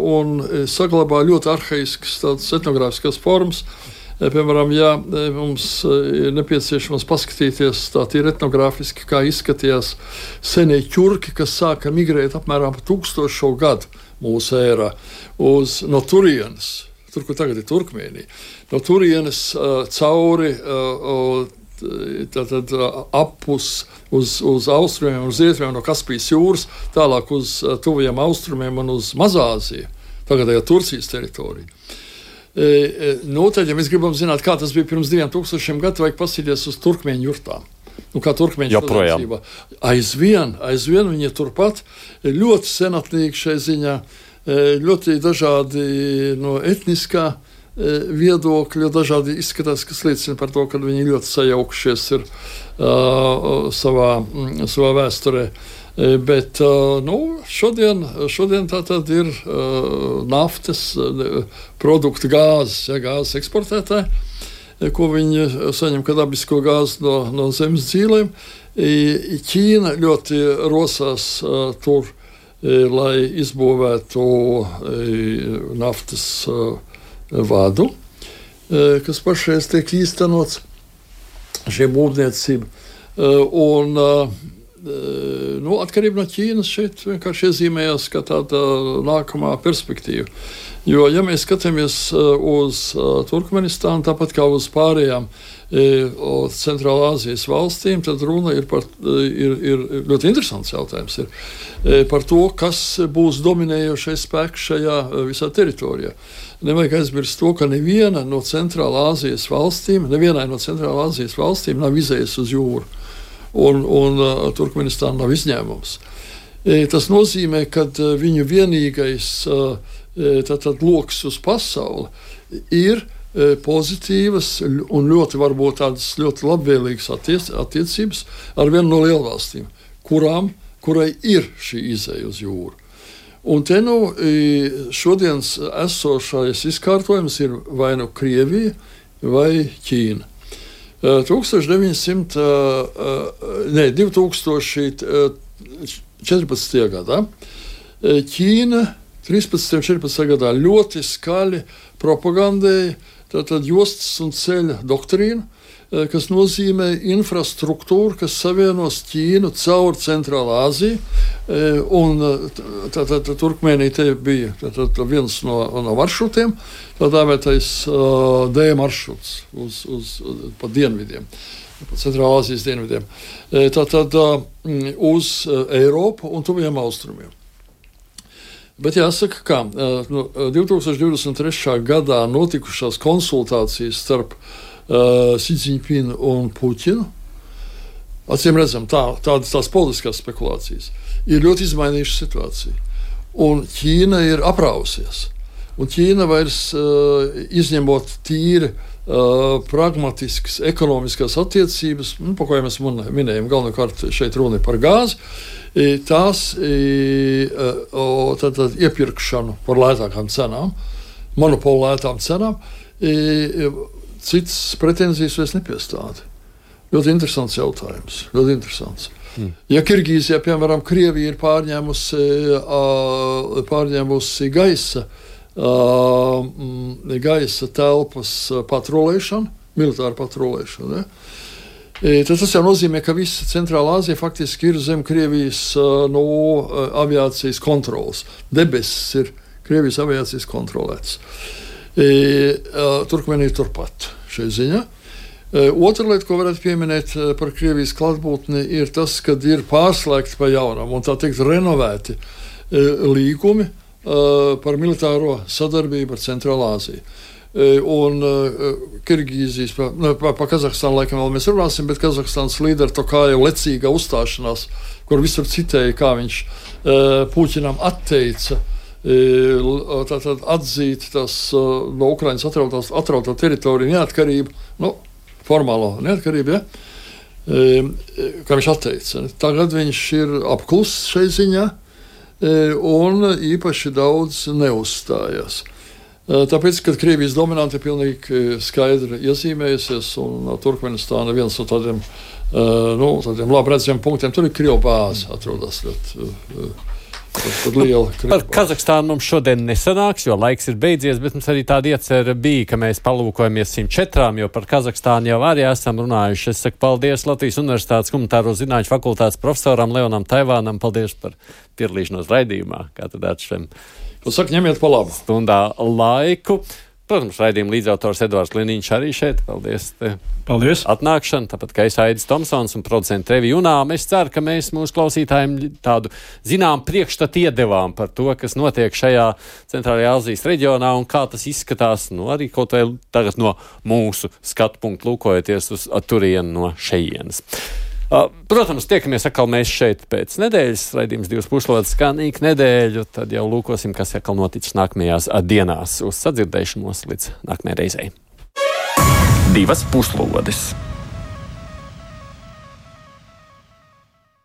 un saglabā ļoti arhaiskas tādas etnogrāfiskas formas. Piemēram, ja mums ir nepieciešams paskatīties tā tīri etnogrāfiski, kā izskatījās senie ķurki, kas sāka migrēt apmēram pa tūkstošo gadu mūsu ērā uz, no turienes, tur, kur tagad ir Turkmēnija, no turienes uh, cauri uh, tātad apus uz, uz austrumiem un uz rietumiem no Kaspijas jūras, tālāk uz tuvajiem austrumiem un uz Mazāziju, tagadējā Turcijas teritoriju. E, e, nu, tad, ja mēs gribam zināt, kā tas bija pirms diviem tūkstošiem gadu, vajag pasīties uz turkmeņu jurtām. Nu, kā turkmeņu sadarbībā. Aizvien, aizvien viņi turpat ļoti senatnīgi šai ziņā, ļoti dažādi no etniskā viedokļi, dažādi izskatās, kas liecina par to, ka viņi ļoti sajaukušies ir uh, savā, savā vēsturē. Bet uh, nu, šodien, šodien tā tad ir uh, naftas uh, produkti, gāzes, ja, gāzes eksportētāji. ko viņi saņem kā dabisko gāzi no, no zemes dzīvēm. Ķīna ļoti rosās tur, lai izbūvētu naftas vadu, kas pašreiz tiek īstenots šie būvniecība. Un, nu, atkarība no Ķīnas šeit vienkārši iezīmējās kā tāda nākamā perspektīva. Jo, ja mēs skatāmies uz Turkmenistānu, tāpat kā uz pārējām Centrālā Āzijas valstīm, tad runa ir par, ir, ir ļoti interesants jautājums, ir par to, kas būs dominējošais spēks šajā visā teritorijā. Nevajag aizmirst to, ka neviena no Centrālā Āzijas valstīm, nevienai no Centrālā Āzijas valstīm nav izējas uz jūru, un, un Turkmenistāna nav izņēmums. Tas nozīmē, ka viņu vienīgais tātad loks uz pasauli ir pozitīvas un ļoti varbūt tādas ļoti labvēlīgas attiec, attiecības ar vienu no lielvalstīm, kurām, kurai ir šī izeja uz jūru. Un te nu šodienas esošais izkārtojums ir vai nu Krievija vai Ķīna. divi tūkstoši četrpadsmitajā gadā Ķīna trīspadsmitajā un četrpadsmitajā gadā ļoti skaļi propagandēja tātad jostas un ceļa doktrīnu, kas nozīmē infrastruktūru, kas savienos Ķīnu caur Centrālā Āziju, un tātad Turkmēnija te bija tātad viens no, no maršrutiem, tā dēvētais D maršruts uz, uz, pa dienvidiem, pa Centrālā Āzijas dienvidiem, tātad uz Eiropu un tuviem austrumiem. Bet jāsaka, ka nu, divi tūkstoši divdesmit trešā gadā notikušās konsultācijas starp uh, Xi Jinping un Puķinu, acīm redzam, tā, tādas tās politiskās spekulācijas, ir ļoti izmainījušas situāciju. Un Ķīna ir aprausies. Un Ķīna vairs uh, izņemot tīri uh, pragmatiskas ekonomiskās attiecības, nu, pa ko jau mēs minējam, galvenokārt šeit runa par gāzi, tās tad, tad iepirkšanu par lētākām cenām, monopolu lētām cenām, citas pretenzijas vairs nepiestāda. Ļoti interesants jautājums. Ļoti interesants. Mm. Ja Kirgīzijā, piemēram, Krievija ir pārņēmusi, pārņēmusi gaisa, gaisa telpas patrolēšanu, militāru patrolēšanu, ne? Tad tas jau nozīmē, ka visa Centrālā Āzija faktiski ir zem Krievijas no aviācijas kontrolas. Debesis ir Krievijas aviācijas kontrolētas. Turkmēnija turpat šai ziņā. Otra lieta, ko varētu pieminēt par Krievijas klātbūtni, ir tas, ka ir pārslēgti pa jaunam un tā teikt renovēti līgumi par militāro sadarbību ar Centrālā Āziju. Un uh, Kirgīzijas, pa, nu, pa, pa Kazahstānu laikam vēl mēs runāsim, bet Kazahstānas līderi Tokajev lecīga uzstāšanās, kur visur citēja, kā viņš uh, Puķinam atteica uh, tātad atzīt tas uh, no Ukrainas atrautās, atrautā teritoriju neatkarību, nu, formālo neatkarību, ja, uh, kā viņš atteica. Tagad viņš ir apkluss šai ziņā uh, un īpaši daudz neuzstājās. Tāpēc, kad Krievijas dominante ir pilnīgi skaidri iezīmējusies, un Turkmenistāna viens no tādiem, nu, tādiem labi redzamiem punktiem, tur ir Krievu bāze atrodas ļoti, ļoti liela. Par Kazahstānu mums šodien nesanāks, jo laiks ir beidzies, bet mums arī tāda iecerē bija, ka mēs palūkojamies simt četrām, jo par Kazahstānu jau arī esam runājuši. Es saku paldies Latvijas Universitātes humanitāro zinātņu fakultātes profesoram Leonam Taivānam, paldies par piedalīšanos raidījumā, kā tad atšķem. Jūs sakat, ņemiet pa labu. Stundā laiku. Protams, raidījuma līdzautors Edvards Liniņš arī šeit. Paldies. Paldies. Atnākšana, tāpat kā es Aidis Tomsons un producenta Revi Junām. Es ceru, ka mēs mūsu klausītājiem tādu zinām priekšstatu iedevām par to, kas notiek šajā Centrālajā Āzijas reģionā un kā tas izskatās, nu, arī kaut vai tagad no mūsu skatu punktu lūkojoties uz turienu no šejienes. Protams, tiekamies atkal mēs šeit pēc nedēļas, raidījums divas puslodes skanīgu nedēļu, tad jau lūkosim, kas atkal noticis nākamajās dienās. Uz sadzirdēšanos līdz nākamajai reizei. Divas puslodes.